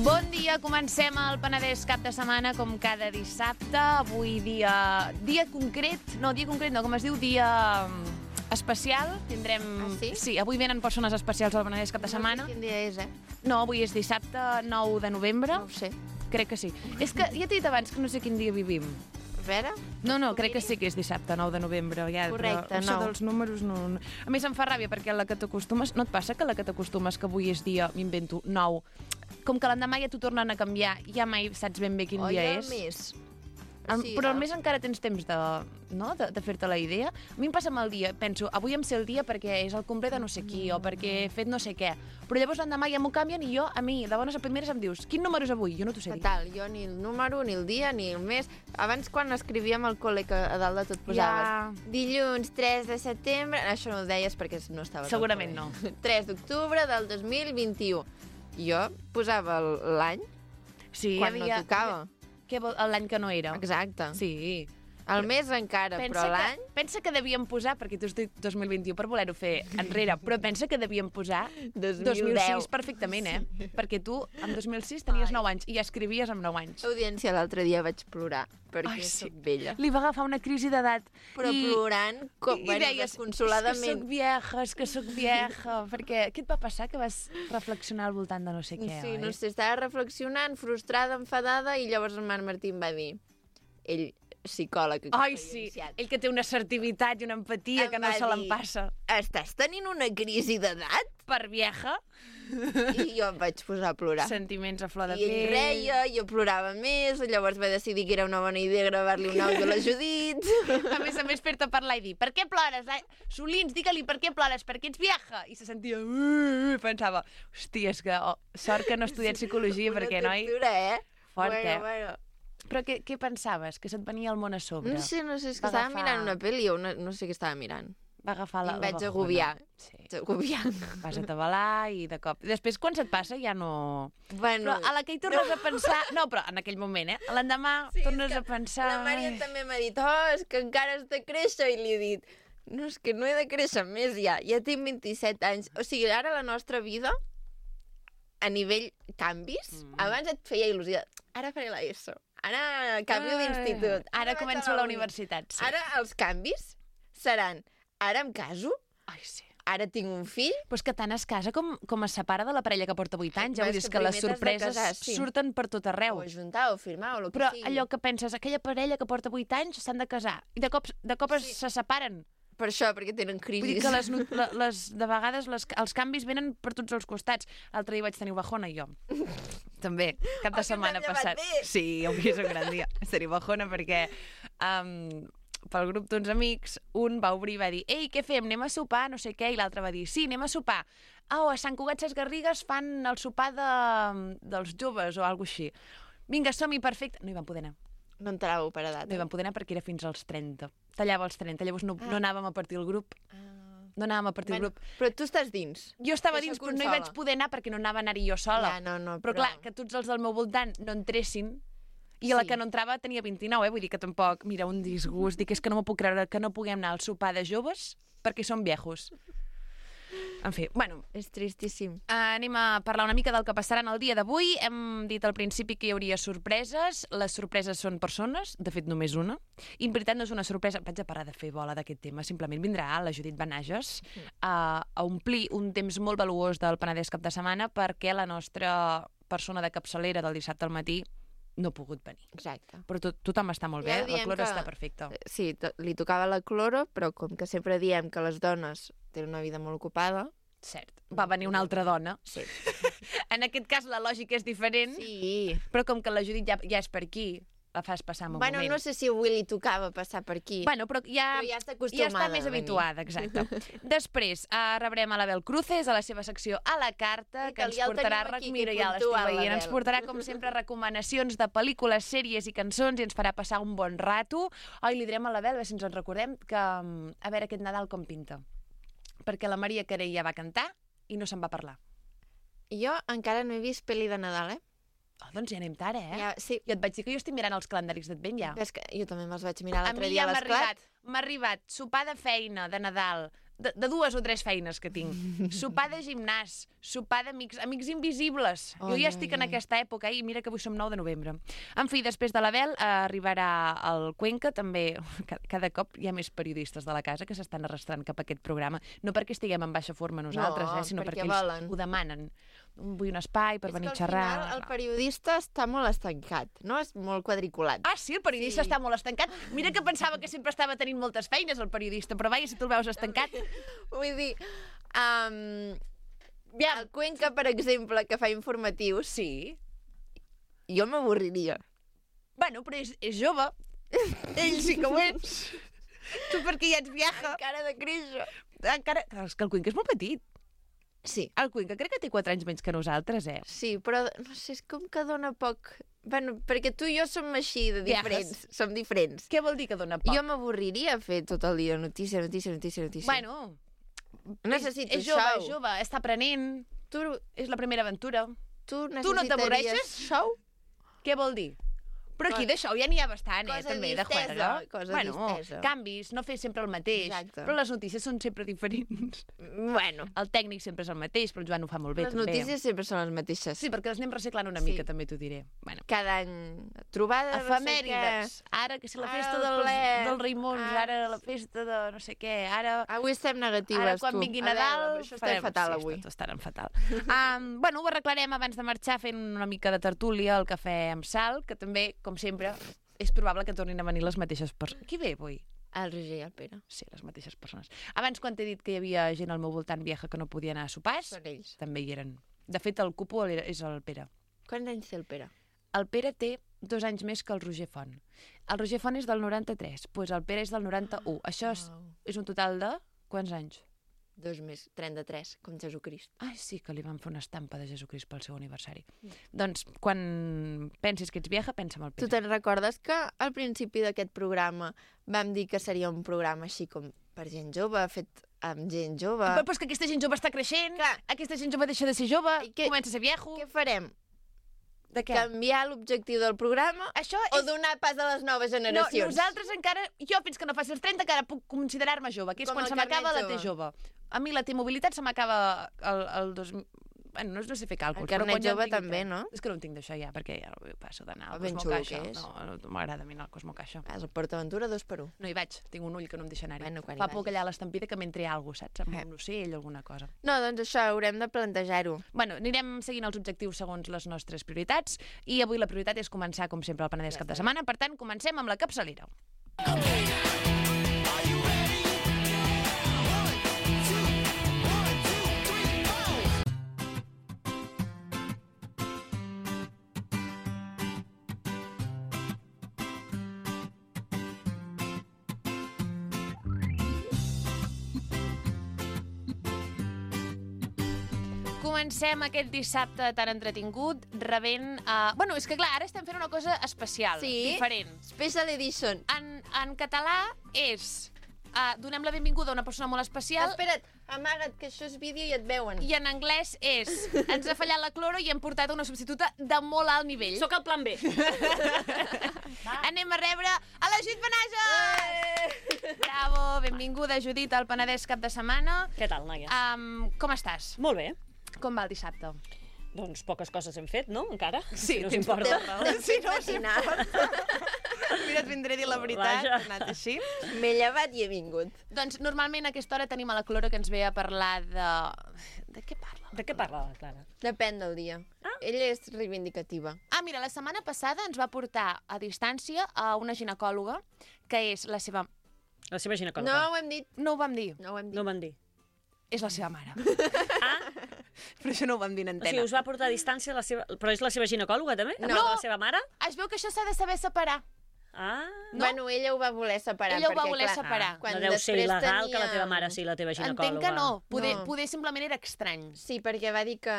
Bon dia, comencem el Penedès cap de setmana com cada dissabte. Avui dia concret, no, com es diu, dia especial. Tindrem... Ah, sí? Sí, avui venen persones especials al Penedès cap de setmana. No sé quin dia és, No, avui és dissabte 9 de novembre. No ho sé. Crec que sí. És que ja t'he dit abans que no sé quin dia vivim. A veure... No, crec que sí que és dissabte 9 de novembre. Ja, Correcte, però això dels números no... A més, em fa ràbia perquè a la que t'acostumes... No et passa que a la que t'acostumes que avui és dia, m'invento, 9, com que l'endemà ja t'ho tornen a canviar, ja mai saps ben bé quin dia és. O ja més. Però al més encara tens temps de fer-te la idea. A mi em passa amb el dia, penso, avui em sé el dia perquè és el complet de no sé qui o perquè he fet no sé què. Però llavors l'endemà ja m'ho canvien i a mi, de bones a primeres, em dius, quin número és avui? Jo no t'ho sé dir. Fatal, jo ni el número, ni el dia, ni el mes. Abans, quan escrivíem al col·le, que a dalt de tot posaves dilluns 3 de setembre, això no ho deies perquè no estaves Segurament no. 3 d'octubre del 2021. Jo posava l'any quan no tocava. L'any que no era. Exacte. Sí. El mes encara, però l'any... Pensa que devíem posar, perquè tu has dit 2021 per voler-ho fer enrere, però pensa que devíem posar 2006 perfectament, Perquè tu, en 2006, tenies 9 anys i escrivies amb 9 anys. Audiència, l'altre dia vaig plorar, perquè soc vella. Li va agafar una crisi d'edat. Però plorant, desconsoladament. És que soc vieja, perquè què et va passar que vas reflexionar al voltant de no sé què, Sí, no sé, estava reflexionant, frustrada, enfadada, i llavors en Marc Martín va dir, ell, psicòleg... Ai, sí, ell que té una assertivitat i una empatia que no se l'empassa. Estàs tenint una crisi d'edat? Per vieja? I jo em vaig posar a plorar. Sentiments a flor de pell. I ell reia, jo plorava més, llavors va decidir que era una bona idea gravar-li un àudio a la Judit. A més, fer-te parlar i dir, per què plores? Solins, digue-li, per què plores? Perquè ets vieja? I se sentia... Pensava, hòstia, és que sort que no he estudiat psicologia, perquè, noi... Una tortura, Fort, Bueno. Però què pensaves? Que se't venia el món a sobre? No sé, és que estava mirant una pel·li o no sé què estava mirant. Va agafar la... I em vaig agobiar. Sí. Vas atabalar i de cop... Després, quan se't passa, ja no... Bueno... Però a la que hi tornes a pensar... No, però en aquell moment, L'endemà tornes a pensar... La Mària també m'ha dit, és que encara has de créixer, i li he dit, no, és que no he de créixer més ja tinc 27 anys. O sigui, ara la nostra vida, a nivell canvis, abans et feia il·lusió, ara faré l'ESO, ara canvio d'institut, ara començo la universitat. Sí. Ara els canvis seran, ara em caso, ai, sí. Ara tinc un fill... Però és que tant es casa com es separa de la parella que porta 8 anys. Vull dir, que les sorpreses surten per tot arreu. O ajuntar, o firmar, o el que Però sigui. allò que penses, aquella parella que porta 8 anys s'han de casar, i de cop se separen. Per això, perquè tenen crisis. Vull dir que de vegades els canvis venen per tots els costats. L'altre dia vaig tenir bajona, i jo. També, cap de setmana passat. Sí, avui és un gran dia. Tenir bajona perquè... pel grup d'uns amics, un va obrir i va dir «Ei, què fem? Anem a sopar? No sé què». I l'altre va dir «Sí, anem a sopar». A Sant Cugat Ses Garrigues fan el sopar dels joves o alguna així. Vinga, som-hi, perfecte. No hi vam poder anar. No entràveu per edat. No hi vam poder anar perquè era fins als 30. Tallava als 30, llavors no anàvem a partir el grup. No anàvem a partir el grup. Però tu estàs dins. Jo estava dins, però no hi vaig poder anar perquè no anava a anar-hi jo sola. Però clar, que tots els del meu voltant no entressin. I la que no entrava tenia 29, vull dir que tampoc, mira, un disgust, dic, és que no m'ho puc creure que no puguem anar al sopar de joves perquè som viejos. En fi, bueno. És tristíssim. Anem a parlar una mica del que passarà en el dia d'avui. Hem dit al principi que hi hauria sorpreses. Les sorpreses són persones, de fet només una. I en veritat no és una sorpresa, vaig a parar de fer bola d'aquest tema, simplement vindrà la Judit Benages a omplir un temps molt valuós del Penedès cap de setmana perquè la nostra persona de capçalera del dissabte al matí no ha pogut venir. Exacte. Però tothom està molt bé, la Cloro està perfecta. Sí, li tocava la Cloro, però com que sempre diem que les dones tenen una vida molt ocupada... Cert. Va venir una altra dona. Sí. En aquest cas la lògica és diferent, sí. Però com que la Judit ja és per aquí, la fas passar en un moment. No sé si avui li tocava passar per aquí. Però ja està acostumada. Ja està més habituada, exacte. Després rebrem a l'Abel Cruces a la seva secció A la Carta, que ens portarà... Mira, ja l'estic veient. Ens portarà, com sempre, recomanacions de pel·lícules, sèries i cançons i ens farà passar un bon rato. Li direm a l'Abel, a veure si ens en recordem, que a veure aquest Nadal com pinta. Perquè la Maria Carey ja va cantar i no se'n va parlar. Jo encara no he vist pel·li de Nadal, doncs ja anem tard, Ja, sí. Jo et vaig dir que jo estic mirant els calendaris d'Advent ja. És que jo també me'ls vaig mirar l'altre dia a l'esclat. M'ha arribat sopar de feina de Nadal de 2 o 3 feines que tinc. Sopar de gimnàs, sopar d'amics, amics invisibles. Jo ja estic en aquesta època i mira que avui som 9 de novembre. En fi, després de l'Abel arribarà el Cuenca, també cada cop hi ha més periodistes de la casa que s'estan arrastrant cap a aquest programa. No perquè estiguem en baixa forma nosaltres, sinó perquè ells ho demanen. Vull un espai per venir a xerrar. És que al final el periodista està molt estancat, no? És molt quadriculat. Ah, sí? El periodista està molt estancat? Mira que pensava que sempre estava tenint moltes feines, el periodista, però vaja, si tu el veus estancat. Vull dir, el Cuenca, per exemple, que fa informatius, sí, jo m'avorriria. Bueno, però és jove. Ell sí que ho ets. Tu perquè ja ets vieja. Encara de créixer. Encara... És que el Cuenca és molt petit. Sí. El Cuenca crec que té 4 anys menys que nosaltres, Sí, però no sé, és com que dona poc... Bueno, perquè tu i jo som així de diferents. Som diferents. Què vol dir que dona poc? Jo m'avorriria fer tot el dia notícia. Bueno, necessito és jove, està aprenent. És la primera aventura. Tu no t'avorreixes? Show? Què vol dir? Però aquí de show ja n'hi ha bastant, també, de juerga. Distesa. Canvis, no fer sempre el mateix. Exacte. Però les notícies són sempre diferents. Bueno. El tècnic sempre és el mateix, però el Joan ho fa molt bé, també. Les notícies sempre són les mateixes. Sí, perquè les anem reciclant una mica, també t'ho diré. Bueno. Cada any, trobada, efemèrides. Ara, que si la festa dels Raimons, ara la festa de no sé què, ara... Avui estem negatives, ara, quan vingui Nadal... Això estem fatal, avui. Sí, estaran fatal. Bueno, ho arreglarem abans de marxar fent una mica de tertúlia al cafè amb sal, que també, com sempre, és probable que tornin a venir les mateixes persones. Qui ve avui? El Roger i el Pere. Sí, les mateixes persones. Abans, quan t'he dit que hi havia gent al meu voltant vieja que no podia anar a sopars, també hi eren. De fet, el cupo és el Pere. Quants anys té el Pere? El Pere té 2 anys més que el Roger Font. El Roger Font és del 93, doncs el Pere és del 91. Això és un total de quants anys? 2 més, 33, com Jesucrist. Ai, sí, que li van fer una estampa de Jesucrist pel seu aniversari. Doncs, quan pensis que ets vieja, pensa en el Pere. Tu te'n recordes que al principi d'aquest programa vam dir que seria un programa així com per gent jove, fet amb gent jove... Però és que aquesta gent jove està creixent, aquesta gent jove deixa de ser jove, comença a ser viejo... Què farem? De què? Canviar l'objectiu del programa o donar pas a les noves generacions? No, nosaltres encara, jo fins que no faci els 30 encara puc considerar-me jove, que és quan se m'acaba la T jove. A mi la T-mobilitat se m'acaba el 2000... Bueno, no sé fer càlculs. El carnet jove també, no? És que no en tinc d'això ja, perquè ja passo d'anar al ben Cosmo xulo Caixa. que és. No m'agrada a mi anar al Cosmo Caixa. Vas al PortAventura 2x1. No hi vaig, tinc un ull que no em deixa anar-hi. Bueno, fa por que allà a l'estampida que m'entri alguna cosa, saps? Amb un ocell o alguna cosa. No, doncs això, haurem de plantejar-ho. Bueno, anirem seguint els objectius segons les nostres prioritats i avui la prioritat és començar, com sempre, el Penedès cap de setmana. Per tant, comencem amb la capçalera. Comencem aquest dissabte tan entretingut rebent... Bueno, és que clar, ara estem fent una cosa especial, diferent. Special edition. En català és... donem la benvinguda a una persona molt especial. Espera't, amaga't, que això és vídeo i et veuen. I en anglès és... Ens ha fallat la cloro i hem portat una substituta de molt alt nivell. Soc el plan B. Anem a rebre a la Judit Benages! Bravo, benvinguda, Judit, al Penedès cap de setmana. Què tal, noies? Com estàs? Molt bé. Com va el dissabte? Doncs poques coses hem fet, no? Encara? Sí, si no s'importa. Sí, no s'importa. Mira, et vindré a dir la veritat, ha anat així. M'he llevat i he vingut. Doncs normalment a aquesta hora tenim a la Clora que ens ve a parlar de... De què parla? De què parla la Clara? Depèn del dia. Ella és reivindicativa. Mira, la setmana passada ens va portar a distància a una ginecòloga que és la seva... La seva ginecòloga. No ho hem dit. No ho vam dir. No ho van dir. És la seva mare. Però això no ho vam dir en antena. O sigui, us va portar a distància la seva... Però és la seva ginecòloga, també? No. La seva mare? Es veu que això s'ha de saber separar. No? Bueno, ella ho va voler separar. Ella ho va voler separar. No deu ser il·legal que la teva mare sigui la teva ginecòloga. Entenc que no. Poder simplement era estrany. Sí, perquè va dir que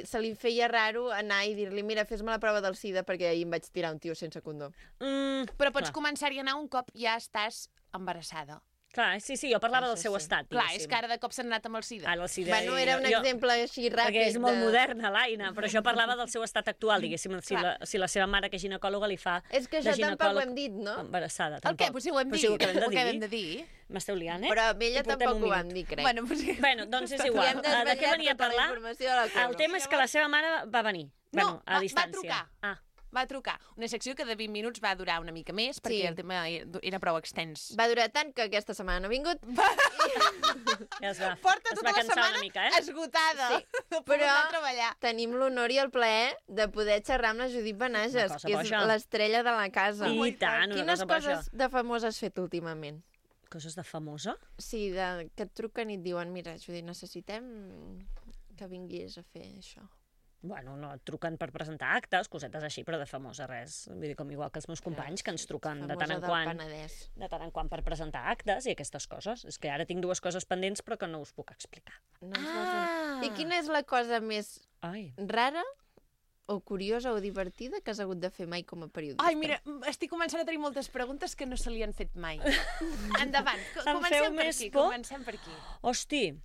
se li feia raro anar i dir-li mira, fes-me la prova del SIDA perquè ahir em vaig tirar un tio sense condó. Però pots començar-hi a anar un cop ja estàs embarassada. Clar, sí, jo parlava del seu Sí. estat, Clar, diguéssim. és que ara de cop s'han anat amb el SIDA. Ara el SIDA Bueno, era un exemple així ràpid. Perquè és molt moderna, l'Aina, però això parlava del seu estat actual, diguéssim, si la seva mare, que és ginecòloga, li fa És que de això tampoc ho ginecòleg hem dit, no? embarassada. El Tampoc. què? Pues sí, ho hem Però dit. sí, ho acabem Ho de acabem dir. de dir. M'esteu liant, Però amb ella I portem tampoc un ho vam minut. dir, crec. Bueno, pues sí. Bueno, doncs és I igual. hem De què desvetllat venia a tota la parlar? informació de la Colo. El tema és que la seva mare va venir. No, A va distància. trucar. Ah, Va trucar. Una secció que de 20 minuts va durar una mica més, perquè Sí. el tema era prou extens. Va durar tant que aquesta setmana no ha vingut. ja es va, Porta es tota va la cansar setmana una mica, esgotada. Sí, No però- però... anar a treballar. Tenim l'honor i el plaer de poder xerrar amb la Judit Benages, Una cosa que és boja. l'estrella de la casa. I tant, una Quines cosa boja. coses de famosa has fet últimament? Coses de famosa? Sí, que et truquen i et diuen, mira, Judit, necessitem que vinguis a fer això. Bueno, no, et truquen per presentar actes, cosetes així, però de famosa res. Vull dir, com igual que els meus companys, que ens truquen de tant en quant per presentar actes i aquestes coses. És que ara tinc dues coses pendents, però que no us puc explicar. No ens vols dir. I quina és la cosa més Ai, rara o curiosa o divertida que has hagut de fer mai com a periodista? Ai, mira, estic començant a tenir moltes preguntes que no se li han fet mai. Endavant, Em feu comencem per més aquí, por? comencem per aquí. hosti,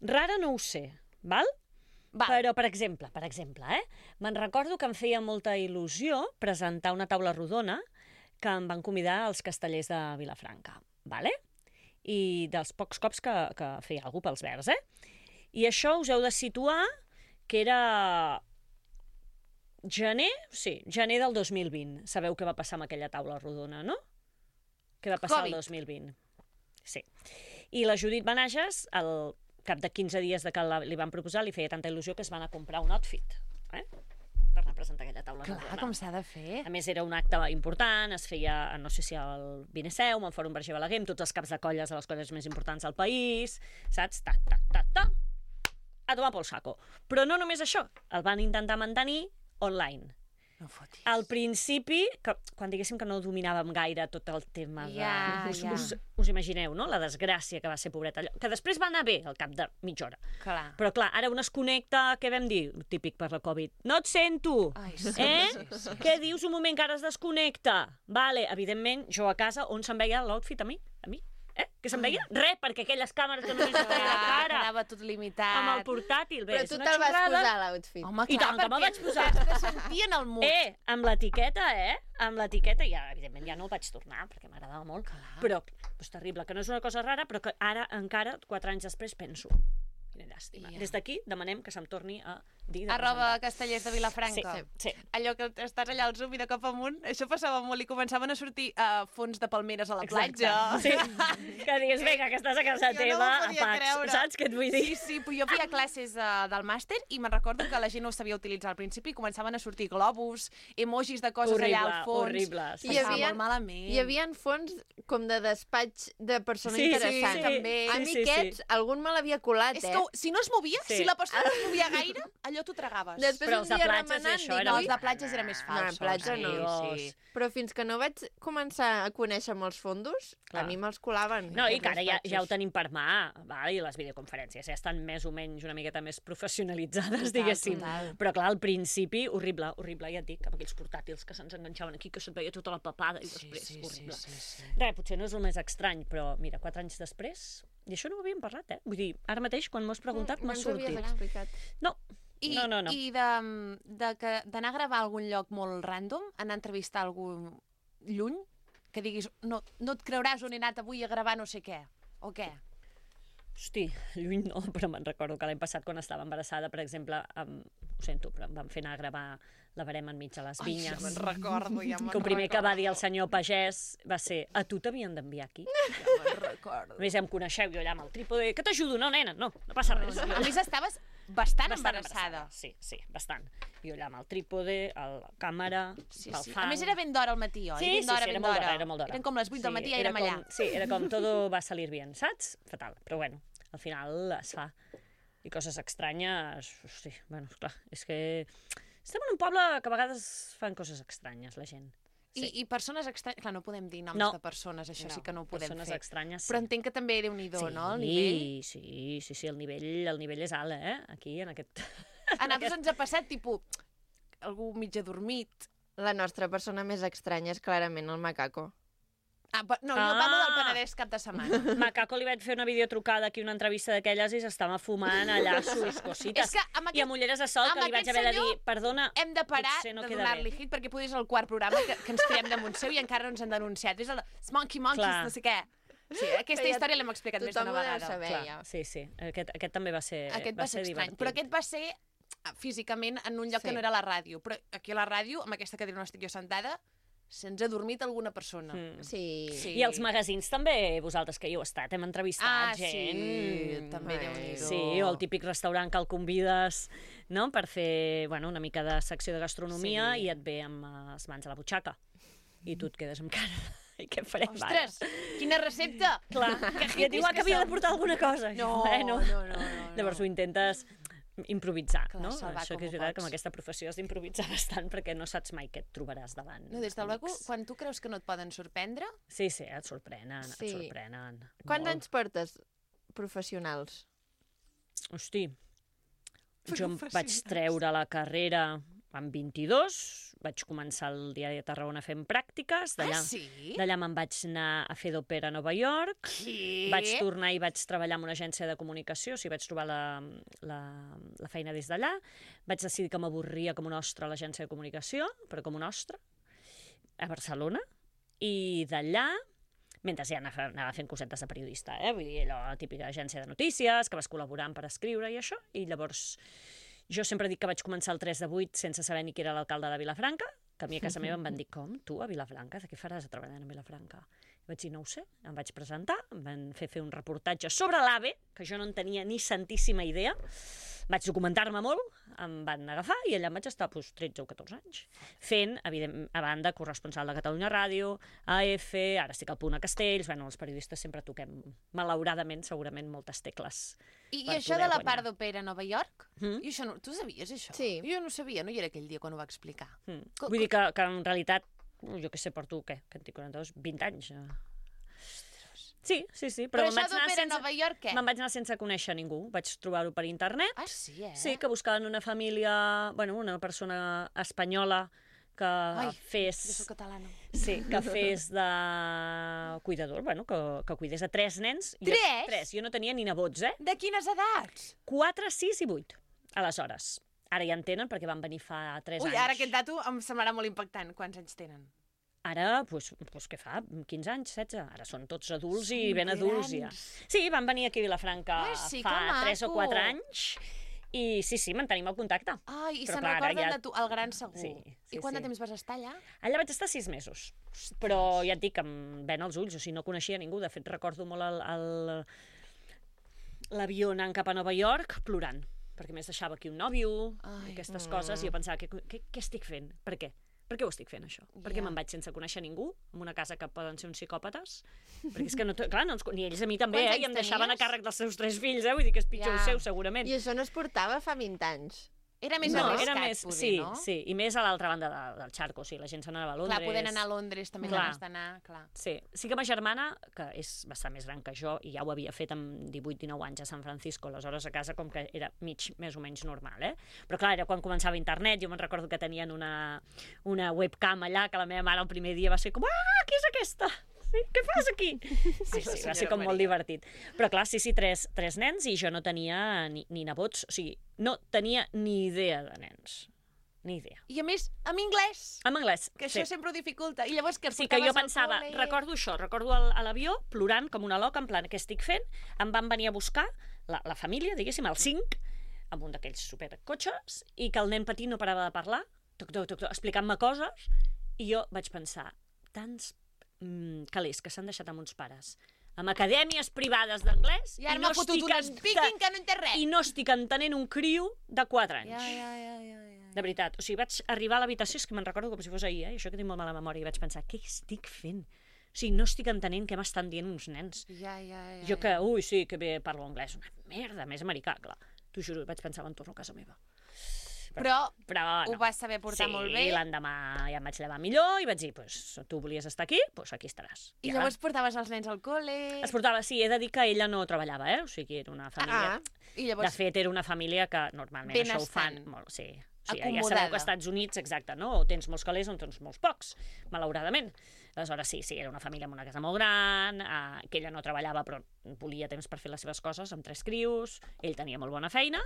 rara no ho sé, val? Va, Però, per exemple, me'n recordo que em feia molta il·lusió presentar una taula rodona que em van convidar als castellers de Vilafranca, vale? I dels pocs cops que feia alguna pels verds, I això us heu de situar que era gener del 2020. Sabeu què va passar amb aquella taula rodona, no? Què va passar Covid. el 2020? Sí. I la Judit Benages, al cap de 15 dies de que li van proposar, li feia tanta il·lusió que es van a comprar un outfit, per anar a presentar aquella taula clar, rodona. com s'ha de fer. A més, era un acte important, es feia, no sé si al Vineceu, al Fòrum Berger Balaguer, amb tots els caps de colles de les colles més importants del país, saps? A tomar pel saco. Però no només això, el van intentar mantenir online. No fotis. Al principi, quan diguéssim que no dominàvem gaire tot el tema de... Ja. Us imagineu, no?, la desgràcia que va ser, pobreta, allò. Que després va anar bé, al cap de mitja hora. Clar. Però clar, ara un es connecta, què vam dir? Típic per la Covid. No et sento! Ai, sí, sí. Què dius un moment que ara es desconnecta? Vale, evidentment, jo a casa, on se'n veia l'outfit a mi? Que se'n veia? Res, perquè aquelles càmeres que només es veia la cara, Quedava tot limitat. amb el portàtil. Bé, Però és tu una te'l vas xorrada. posar, l'outfit. Home, I clar, tant que me'l vaig posar. Que sentien el mood. Amb l'etiqueta, Amb l'etiqueta, ja, evidentment, ja no el vaig tornar, perquè m'agradava molt. Però és terrible, que no és una cosa rara, però que ara, encara, 4 anys després, penso. Quina llàstima. Ja. Des d'aquí demanem que se'm torni a dir de Arroba presentar. Castellers de Vilafranca. Sí. Allò que estàs allà al Zoom i de cop amunt, això passava molt i començaven a sortir fons de palmeres a la Exacte. platja. Sí. Que digues, vinga, que estàs a casa Jo no teva, m'ho a podia Pax, creure. saps què et vull dir? Sí, sí, però jo feia classes del màster i me'n recordo que la gent no ho sabia utilitzar al principi i començaven a sortir globus, emojis de coses allà al fons. Horrible. I hi havia- molt malament. Hi havia fons com de despatx de persona Sí, sí, interessant. sí. També. A Sí, mi sí, aquests, algun me l'havia colat, És que si no es movia, Sí. si la persona no es movia gaire, allò t'ho tragaves. Després Però un els de dia platges i remenant, això dic, era No, "Ui". els de platges era més No, en falsos. platja no. Sí. Però fins que no vaig començar a conèixer molts fondos, Clar. a mi me'ls colaven. No, i que aquests ara ja ho despatxos. tenim per mà, val? I les videoconferències ja estan més o menys una miqueta més professionalitzades, Total, diguéssim. total. Però clar, al principi, horrible, ja et dic, amb aquells portàtils que se'ns enganxaven aquí, que se't veia tota la papada, i després, horrible. sí. Res, potser no és el més estrany, però mira, 4 anys després, i això no ho havíem parlat, Vull dir, ara mateix, quan m'ho has preguntat, m'ha ens ho havies sortit. explicat. No, I, no. I d'anar a gravar a algun lloc molt random, anar a entrevistar algú lluny, que diguis, no et creuràs on he anat avui a gravar no sé què, o què? Hosti, lluny no, però me'n recordo que l'any passat, quan estava embarassada, per exemple, ho sento, però em van fer anar a gravar La Verema enmig de les vinyes. Ja me'n recordo, Que el primer que va dir el senyor pagès va ser: a tu t'havien d'enviar aquí? Ja me'n recordo. A més, ja em coneixeu, jo allà amb el trípode, que t'ajudo? No, nena, no passa res. A més, estaves bastant embarassada. Sí, bastant. Jo allà amb el trípode, la càmera, Sí, pel sí. fang. A més, era ben d'hora al matí, oi? Sí, ben d'hora, era ben molt d'hora. d'hora, era molt d'hora. Eren com les 8 del matí i érem allà. Sí, era com todo va salir bien, saps? Fatal, però bueno, al final es fa. I coses estranyes, hosti, bueno, clar, és que estem en un poble que a vegades fan coses estranyes, la gent. Sí. I persones estranyes... Clar, no podem dir noms No. de persones, això sí que no ho podem persones fer. estranyes, sí. Però entenc que també Déu-n'hi-do, no? El nivell. Sí, el nivell és alt, aquí, en aquest... A nosaltres ens ha passat, tipus, algú mig adormit. La nostra persona més estranya és clarament el macaco. No, jo parlo del Penedès cap de setmana. Macaco li vaig fer una videotrucada aquí, una entrevista d'aquelles, i s'estava fumant allà sus cosites. I amb ulleres de sol, que li vaig haver de dir, perdona, hem de parar de donar-li hit, perquè potser és el quart programa que ens tirem damunt seu i encara no ens han denunciat. És el Monkey Monkeys, no sé què. Sí, aquesta història l'hem explicat més d'una vegada. Tothom ho deu saber, ja. Sí. Aquest també va ser divertit. Però aquest va ser físicament en un lloc que no era la ràdio. Però aquí a la ràdio, amb aquesta cadira on estic jo sentada, se'ns ha dormit alguna persona. Sí. I els magazins també, vosaltres que hi heu estat, hem entrevistat gent. Sí, també Déu-n'hi-do. Sí, o el típic restaurant que el convides, no?, per fer una mica de secció de gastronomia i et ve amb les mans a la butxaca. I tu et quedes amb cara... I què farem ara? Ostres, quina recepta! Clar, i et diu que havia de portar alguna cosa. No. Llavors ho intentes improvisar, no? Salvar Això que és veritat, que amb aquesta professió has d'improvisar bastant perquè no saps mai què et trobaràs davant. No, des de luego, quan tu creus que no et poden sorprendre... Sí, et sorprenen, et sorprenen. Quants anys portes professionals? Hosti, jo em vaig treure la carrera amb 22, vaig començar el Diari de Tarragona fent pràctiques, d'allà me'n vaig anar a fer d'òpera a Nova York, vaig tornar i vaig treballar en una agència de comunicació, o sigui, vaig trobar la feina des d'allà, vaig decidir que m'avorria com un ostre a l'agència de comunicació, però com un ostre, a Barcelona, i d'allà, mentre ja anava fent cosetes de periodista, vull dir, la típica agència de notícies, que vas col·laborant per escriure i això, i llavors... Jo sempre dic que vaig començar el 3 de 8 sense saber ni qui era l'alcalde de Vilafranca, que a mi a casa meva em van dir, com, tu a Vilafranca? De què faràs treballant a Vilafranca? I vaig dir, no ho sé, em vaig presentar, em van fer un reportatge sobre l'AVE, que jo no en tenia ni santíssima idea, vaig documentar-me molt, em van agafar i allà em vaig estar 13 o 14 anys, fent, evidentment, a banda, corresponsal de Catalunya Ràdio, AF, ara estic al Punt a Castells, els periodistes sempre toquem, malauradament, segurament, moltes tecles. I això de la part d'òpera a Nova York? Tu sabies això? Sí. Jo no sabia, no hi era aquell dia quan ho va explicar. Vull dir que en realitat, jo què sé, porto, què? Que en tinc 42, 20 anys. Sí. Però això d'òpera a Nova York, què? Me'n vaig anar sense conèixer ningú. Vaig trobar-ho per internet. Ah, sí, Sí, que buscaven una família, una persona espanyola que fes... Jo soc catalana. Sí, que fes de cuidador, que cuidés a 3 nens. 3? Jo no tenia ni nebots, De quines edats? 4, 6 i 8, aleshores. Ara ja en tenen perquè van venir fa 3 anys. Ui, ara aquest dato em semblarà molt impactant. Quants anys tenen? Ara, doncs què fa? 15 anys, 16? Ara són tots adults i ben adults ja. Sí, van venir aquí a Vilafranca fa 3 o 4 anys i sí, mantenim el contacte. I se'n recorden de tu, el gran segur. Sí, I quant de temps vas estar allà? Allà vaig estar 6 mesos, però ja et dic que em ven els ulls, o sigui, no coneixia ningú. De fet, recordo molt l'avió anant cap a Nova York plorant, perquè més deixava aquí un nòvio, aquestes coses, i jo pensava, què estic fent? Per què? Per què ho estic fent, això? Per què me'n vaig sense conèixer ningú, en una casa que poden ser uns psicòpates? Perquè és que, clar, ni ells a mi també, i em deixaven a càrrec dels seus 3 fills, vull dir que és pitjor el seu, segurament. I això no es portava fa 20 anys. Era més arriscat, poder, no? Sí, i més a l'altra banda del xarco, la gent se n'anava a Londres. Clar, podent anar a Londres, també ganes d'anar, clar. Sí que ma germana, que és bastant més gran que jo, i ja ho havia fet amb 18-19 anys a San Francisco, aleshores a casa com que era més o menys normal, Però clar, era quan començava internet, jo me'n recordo que tenien una webcam allà, que la meva mare el primer dia va ser com, qui és aquesta? Què fas aquí? Sí, va ser com molt divertit. Però clar, 3 nens i jo no tenia ni nebots, o sigui, no tenia ni idea de nens. Ni idea. I a més, amb anglès. Amb anglès, que això sempre ho dificulta. I llavors que sí, que jo pensava, recordo a l'avió, plorant com una loca, en plan, què estic fent? Em van venir a buscar la família, diguéssim, el 5, amb un d'aquells supercotxes, i que el nen petit no parava de parlar, explicant-me coses, i jo vaig pensar, tants calés que s'han deixat amb uns pares amb acadèmies privades d'anglès i ara m'ha fotut un speaking que no entén res i no estic entenent un criu de 4 anys. De veritat, o sigui, vaig arribar a l'habitació, és que me'n recordo com si fos ahir, això que tinc molt mala memòria, i vaig pensar, què estic fent? O sigui, no estic entenent què m'estan dient uns nens. Jo que, sí, que bé parlo anglès, una merda, més americà, clar. T'ho juro, vaig pensar, me'n torno a casa meva. Però no. Ho vas saber portar molt bé. Sí, l'endemà ja em vaig llevar millor i vaig dir, tu volies estar aquí, aquí estaràs. I llavors portaves els nens al col·le? Es portava, sí, he de dir que ella no treballava, o sigui, era una família... I llavors... De fet, era una família que normalment benestant. Això ho fan molt, sí. O sigui, acomodada. ja sabeu que als Estats Units, exacte, no? O tens molts calés o tens molts pocs, malauradament. Aleshores, sí, era una família amb una casa molt gran, que ella no treballava però volia temps per fer les seves coses, amb 3 crios, ell tenia molt bona feina,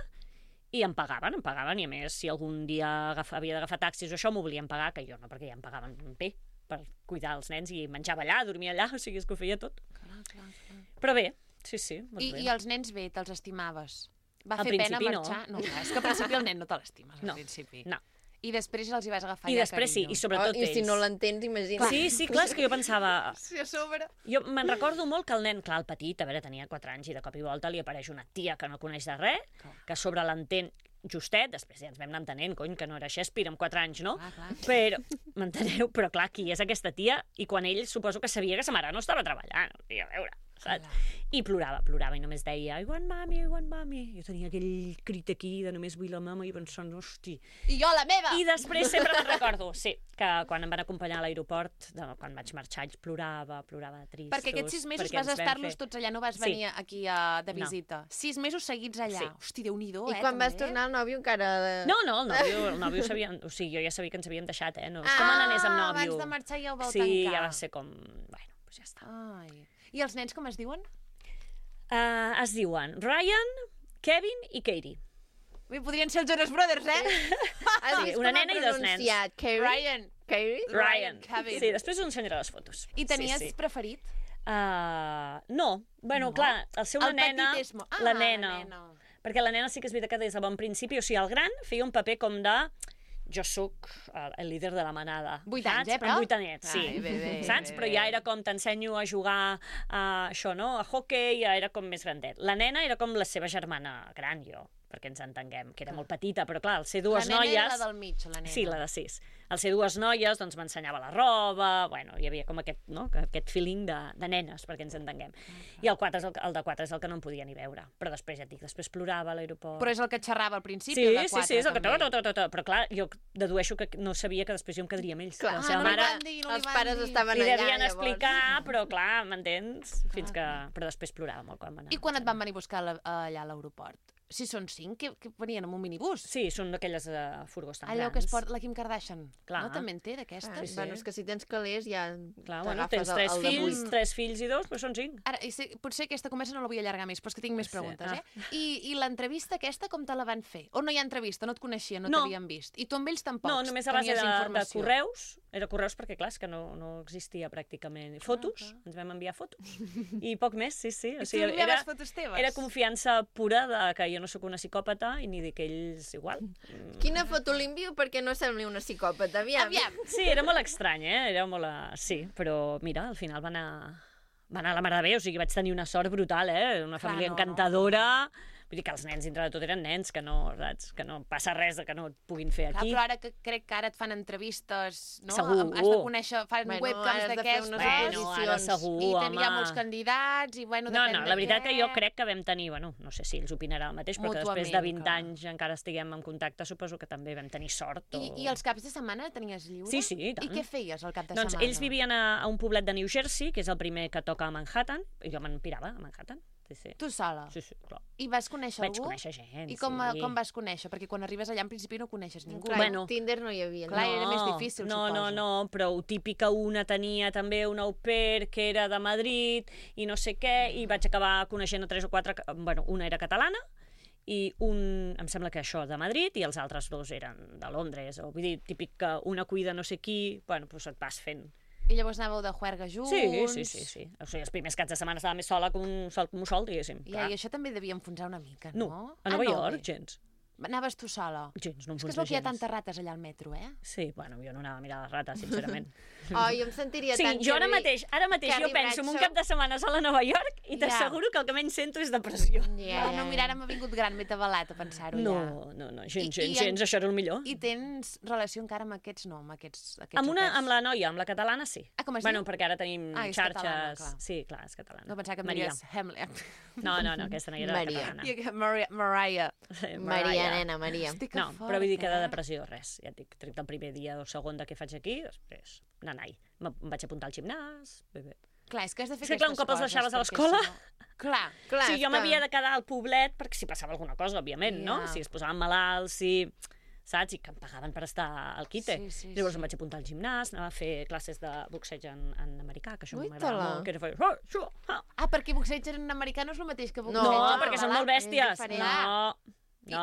i em pagaven, i a més, si algun dia havia d'agafar taxis o això, m'ho volien pagar, que jo no, perquè ja em pagaven bé per cuidar els nens i menjava allà, dormia allà, o sigui, és que ho feia tot. Clar. Però bé, sí, molt bé. I els nens bé, te'ls estimaves? Va Al fer pena principi marxar? No, és que al principi el nen no te l'estimes, al principi. No. I després els hi vas agafar I ja després carinyo. sí, i sobretot ells. I si no l'entens, imagina't. Sí, clar, és que jo pensava... Sí, a sobre. Jo me'n recordo molt que el nen, clar, el petit, a veure, tenia 4 anys i de cop i volta li apareix una tia que no coneix de res, que a sobre l'entén justet, després ja ens vam anar entenent, cony, que no era Shakespeare amb 4 anys, no? Clar. Però, m'enteneu? Però clar, qui és aquesta tia? I quan ell suposo que sabia que sa mare no estava treballant, i a veure, saps? I plorava i només deia I want mommy. Jo tenia aquell crit aquí de només vull la mama i pensant, hosti. I jo la meva! I després sempre me'n recordo, sí, que quan em van acompanyar a l'aeroport, quan vaig marxar, ells plorava de tristos. Perquè aquests 6 mesos vas estar-los tots allà, no vas venir aquí de visita. 6 mesos seguits allà. Sí. Hosti, Déu-n'hi-do, I quan vas tornar el nòvio encara... No, el nòvio sabia... O sigui, jo ja sabia que ens havíem deixat, no? És com anés amb nòvio. Abans de marxar ja ho vau tancar. tancar. Sí, ja va ser com... Bueno, doncs ja està. Ai. I els nens com es diuen? Es diuen Ryan, Kevin i Katie. Bé, podrien ser els Jonas Brothers, Sí, una nena i 2 nens. Ryan. Ryan. Kevin. Sí, després us ensenyaré les fotos. I tenies preferit? No. Bueno, clar, el seu la nena... La nena. Perquè la nena sí que és veritat que des de bon principi, o sigui, el gran feia un paper com de... Jo sóc el líder de la manada. 8 anys, però? Amb 8 anyets, sí. Ai, bé, saps? Però ja era com t'ensenyo a jugar a això, no? A hockey, ja era com més grandet. La nena era com la seva germana gran, jo, perquè ens entenguem, que era molt petita, però clar, al ser 2 noies... La nena era la del mig, la nena. Sí, la de 6. Al ser 2 noies, doncs m'ensenyava la roba, bueno, hi havia com aquest, no? Aquest feeling de nenes, perquè ens entenguem. I el de 4 és el que no em podia ni veure. Però després, ja et dic, després plorava a l'aeroport. Però és el que xerrava al principi, sí, el de 4, sí, és el que també. Però clar, jo dedueixo que no sabia que després jo em quedaria amb ells. Clar, la seva no mare... els pares estaven li allà, devien llavors. explicar, però clar, m'entens? Fins que... Però després plorava molt quan va anar. I quan et van venir a buscar allà a l'aeroport? Si són 5, que venien amb un minibús. Sí, són d'aquelles furgons tan allò grans. que es porta la Kim Kardashian. Clar. No, també en té d'aquestes? Sí. Bueno, és que si tens calés ja clar, bueno, tens 3 fills i 2, però són 5. Ara, potser aquesta conversa no la vull allargar més, però és que tinc més preguntes, I l'entrevista aquesta com te la van fer? O no hi ha entrevista, no et coneixien, no t'havien vist? I tu amb ells tampoc no, només a base tenies de correus. Era correus perquè, clar, és que no existia pràcticament. Fotos, ens vam enviar fotos. I poc més, sí. O sigui, tu enviaves fotos teves? Era confiança pura de que jo no sóc una psicòpata i ni que ells igual. Quina foto li envio perquè no sembli una psicòpata? Aviam. Sí, era molt estrany, Era molt... Sí, però mira, al final va anar a la mare de Déu, o sigui, vaig tenir una sort brutal, Una família encantadora... Vull dir que els nens, dintre de tot, eren nens, que no, saps? Que no passa res de que no et puguin fer aquí. Clar, però ara crec que ara et fan entrevistes, no? Segur. Has de conèixer, fan webcams d'aquestes. Ara segur, i hi ha molts candidats, i bueno, depèn de què. La veritat que jo crec que vam tenir, no sé si ells opinaran el mateix, però que després de 20 anys encara estiguem en contacte, suposo que també vam tenir sort. I els caps de setmana tenies lliure? Sí, i tant. I què feies al cap de setmana? Doncs ells vivien a un poblet de New Jersey, que és el primer que toca a Manhattan, i jo me'n pirava a Manhattan. Sí. Tu sola? Sí, clar. I vas conèixer algú? Vaig conèixer gent, I com vas conèixer? Perquè quan arribes allà, en principi, no coneixes ningú. Clar, Tinder no hi havia. Clar, era més difícil, suposo. No, però ho típic que una tenia també una au pair que era de Madrid i no sé què, i vaig acabar coneixent a 3 o 4... Bueno, una era catalana, i em sembla que això de Madrid, i els altres 2 eren de Londres. O, vull dir, típic que una cuida no sé qui, bueno, doncs et vas fent... I llavors anàveu de juerga junts? Sí. O sigui, els primers caps de setmana estava més sola que un sol, diguéssim. I això també devia enfonsar una mica, no? No, a Nova York, gens. Anaves tu sola? Gens, no em És que es veu que hi ha tantes rates allà al metro, Sí, bueno, jo no anava a mirar les rates, sincerament. Jo em sentiria tant... Sí, jo ara mateix jo penso en un cap de setmana sola a Nova York i t'asseguro que el que menys sento és depressió. No, mira, ara m'ha vingut gran, m'he tabalat a pensar-ho ja. No, gens, això era el millor. I tens relació encara amb aquests, no? Amb aquests amb la noia, amb la catalana, sí. Com es diu? Bueno, perquè ara tenim xarxes... Sí, clar, és catalana. No pensava que em diries Hamlet. No, aquesta noia era catalana. Mariah. Maria, nena, Maria. No, però vull dir que de depressió res. Ja et dic, trec del primer dia o segon de què faig aquí, després nanai. Em vaig apuntar al gimnàs, bé. Clar, és que has de fer aquestes coses. És que clar, un cop els deixaves a l'escola... Clar. Sí, jo m'havia de quedar al poblet perquè si passava alguna cosa, òbviament, no? Si es posaven malalts, si... saps? I que em pagaven per estar al quite. Sí, Llavors em vaig apuntar al gimnàs, anava a fer classes de boxeig en americà, que això Ui, m'agrada tala. molt, que era fer... perquè boxeig en americà no és el mateix que boxeig No, en perquè són català. molt bèsties. és diferent. No. I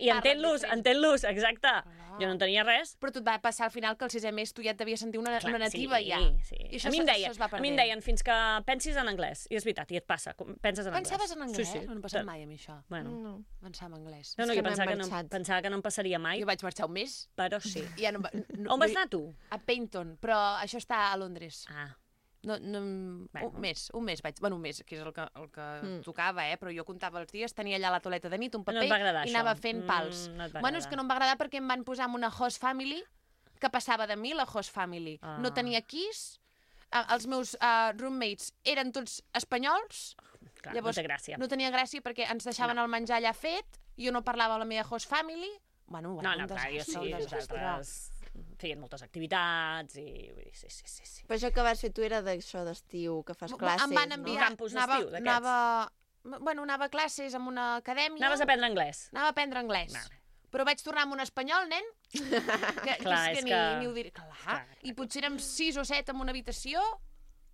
I entén-los, exacte. Jo no entenia res. Però tu et va passar al final que el 6è mes tu ja et devies sentir una nativa sí, ja. Sí. I això A mi em això es va a mi perdent. em deien fins que pensis en anglès. I és veritat, i et passa, penses en anglès. Pensaves en anglès? Sí, sí. No em passa mai a mi això. Bueno. No. Pensar en anglès. No, És jo que no hem pensava que no em passaria mai, Jo vaig marxar un mes. però sí. Ja no, On vas anar tu? A Paynton, però això està a Londres. Ah, Un mes vaig... Bueno, un mes, que és el que tocava, però jo comptava els dies, tenia allà la toaleta de nit, un paper, No et va agradar, i això? anava fent pals. No et va Bueno, és agradar. que no em va agradar perquè em van posar en una host family que passava de mi, la host family. Ah. No tenia keys, els meus roommates eren tots espanyols, clar, llavors no té gràcia. no tenia gràcia perquè ens deixaven el menjar allà fet, jo no parlava amb la meva host family. Bueno, No, un clar, jo desastre, sí, un desastre. nosaltres feien moltes activitats i vull dir, sí. Però això que vas fer tu era d'això d'estiu, que fas classes, Em van no? enviar... campus d'estiu, d'aquests. Anava a classes en una acadèmia. Anaves a aprendre anglès. Anava a aprendre anglès. Vale. Però vaig tornar amb un espanyol, nen, Clar, és és que que- ni ho diré. Clar. I potser érem 6 o 7 en una habitació.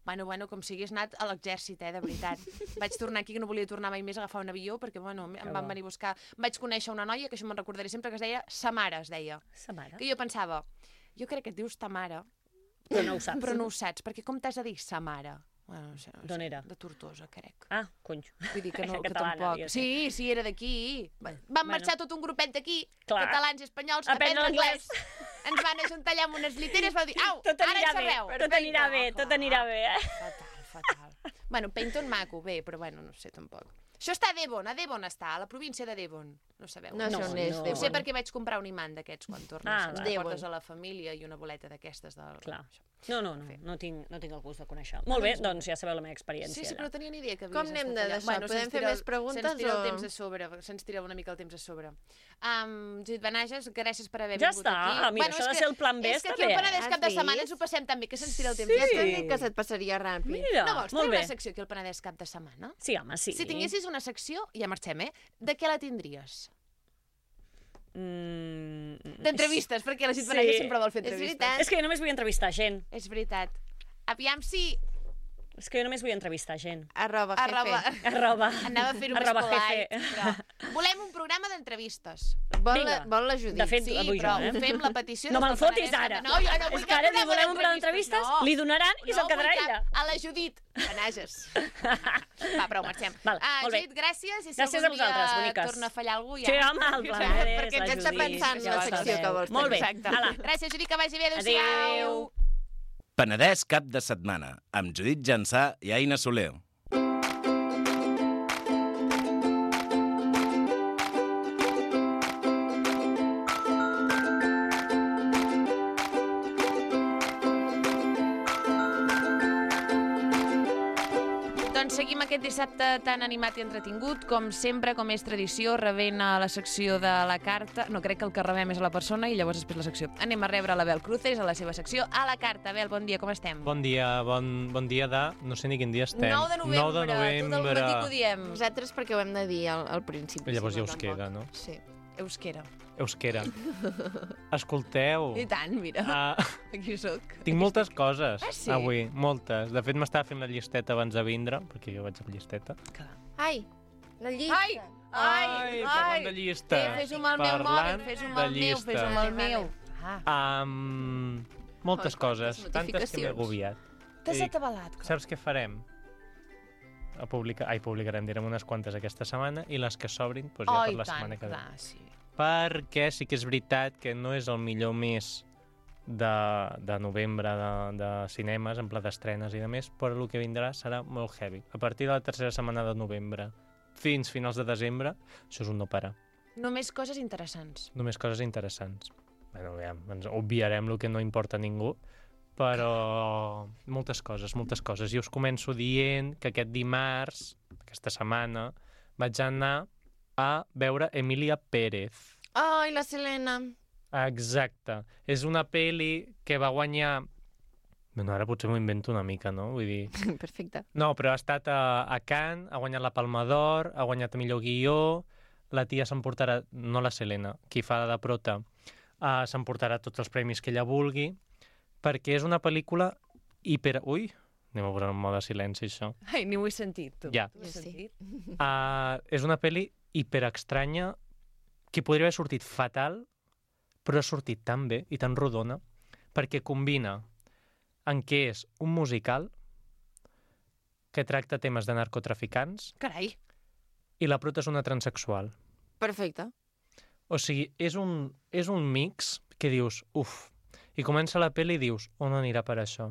Bueno, com si hagués anat a l'exèrcit, de veritat. Vaig tornar aquí, que no volia tornar mai més a agafar un avió, perquè, em van venir a buscar. Vaig conèixer una noia, que això me'n recordaré sempre, que es deia Samara, es deia. Sa mare. Que jo pensava, jo crec que et dius Tamara, Però no ho saps. però no ho saps, perquè com t'has de dir Samara? Bueno, no sé, D'on era? De Tortosa, crec. Ah, cony. Vull dir que no, que Catalana, tampoc. devia ser. Sí, era d'aquí. Van marxar tot un grupet d'aquí, Clar. catalans i espanyols, a Aprendre aprendre anglès. Ens van ajuntar allà amb unes lliteres, vau dir, au, Tot ara anirà en bé, sabeu. tot anirà bé, tot anirà bé, Fatal. Bueno, Paynton maco, bé, però bueno, no sé tampoc. Això està a Devon està, a la província de Devon. No sabeu? No sé on és, no. Ho sé Devon. perquè vaig comprar un imant d'aquests quan tornes. Ah, Ens va. portes Devon. a la família i una boleta d'aquestes. Clar. No tinc el gust de conèixer. Molt bé, doncs ja sabeu la meva experiència. Sí, però no tenia ni idea que havies Com anem estat allà. d'això? Podem se'ns fer tira més preguntes Se'ns tira o- el temps a sobre, se'ns tira una mica el temps a sobre. Judit Benages, gràcies per haver Ja vingut està. aquí. Mira, això ha de ser el plan B, És que està aquí al bé. Penedès Has cap de setmana vist? ens ho passem tan bé que se'ns tira el temps. Sí. Ja t'he dit que se't passaria ràpid. Mira, No vols molt tenir bé. una secció aquí al Penedès cap de setmana? Sí, home, sí. Si tinguessis una secció, ja marxem, de què la tindries? D'entrevistes, perquè la Judit Sí. Benages sempre vol fer És entrevistes. veritat. És que jo només vull entrevistar gent. És veritat. Aviam si... És que jo només vull entrevistar gent. @jefe. Arroba. Anava a fer-ho més Arroba polite, jefe. però... Volem un programa d'entrevistes. Vinga. Vol la Judit. De fet, Sí, vull però jo, eh? fem la petició... No des me'n del fotis Penedès. ara. No, jo no vull És que cap ara programa volem un programa d'entrevistes, No. li donaran i se'l No quedarà vull cap- ella. A la Judit Benages. Va, prou, marxem. Val, molt bé. Judit, gràcies. I si Gràcies a algun vosaltres, dia boniques. torna a fallar algú, ja... Sí, home, el plan B és Perquè la ens està Judit. pensant ja la ho secció sabeu. que vols Molt bé. Exacte. Ala. Gràcies, Judit, que vagi bé. Adéu. Adéu-siau. Penedès cap de setmana, amb Judit Jansà i Aina Soler. Doncs seguim aquest dissabte tan animat i entretingut, com sempre, com és tradició, rebent a la secció de la carta. No, crec que el que rebem és a la persona i llavors després la secció. Anem a rebre l'Abel Cruces a la seva secció a la carta. Abel, bon dia, com estem? Bon dia, bon dia de... No sé ni quin dia estem. 9 de novembre, 9 de novembre. tot el matí que ho diem. Nosaltres perquè ho hem de dir al principi. Llavors si ja us tampoc. queda, no? Sí. Euskera. Euskera. Escolteu. I tant, mira, aquí sóc. Tinc moltes coses Ah, sí? avui, moltes. De fet, m'estava fent la llisteta abans de vindre, perquè jo vaig amb llisteta. Ai, la llista. Ai, parlant de llista. Fes-ho amb el meu mòbil, Parlant fes-ho amb de el meu, llista. fes-ho amb el meu. Ah, Moltes Ai, coses, quantes tantes que m'he notificacions. agobiat. t'has I atabalat. Saps què farem? Publicarem, direm unes quantes aquesta setmana i les que s'obrin doncs ja Oh, per i la tant, setmana que ve. clar, sí. Perquè sí que és veritat que no és el millor mes de novembre de cinemes, en pla d'estrenes i de més, però el que vindrà serà molt heavy. A partir de la tercera setmana de novembre fins finals de desembre, això és un no parar. Només coses interessants. Només coses interessants. Bueno, aviam, ens obviarem el que no importa a ningú, però moltes coses. I us començo dient que aquest dimarts, aquesta setmana, vaig anar a veure Emilia Pérez. Ai, la Selena. Exacte. És una pel·li que va guanyar... Bueno, ara potser m'ho invento una mica, no? Vull dir... Perfecte. No, però ha estat a Cannes, ha guanyat la Palma d'Or, ha guanyat millor guió, la tia s'emportarà, no la Selena, qui fa de prota, s'emportarà tots els premis que ella vulgui, perquè és una pel·lícula hiper... Ui, anem a posar en mode silenci, això. Ai, ni ho he sentit, tu. Ja. Ho he sentit? És una pel·li hiperestranya que podria haver sortit fatal, però ha sortit tan bé i tan rodona, perquè combina en què és un musical que tracta temes de narcotraficants Carai. i la prota és una transexual. Perfecte. O sigui, és un mix que dius, uf, i comença la pel·li i dius, on anirà per això?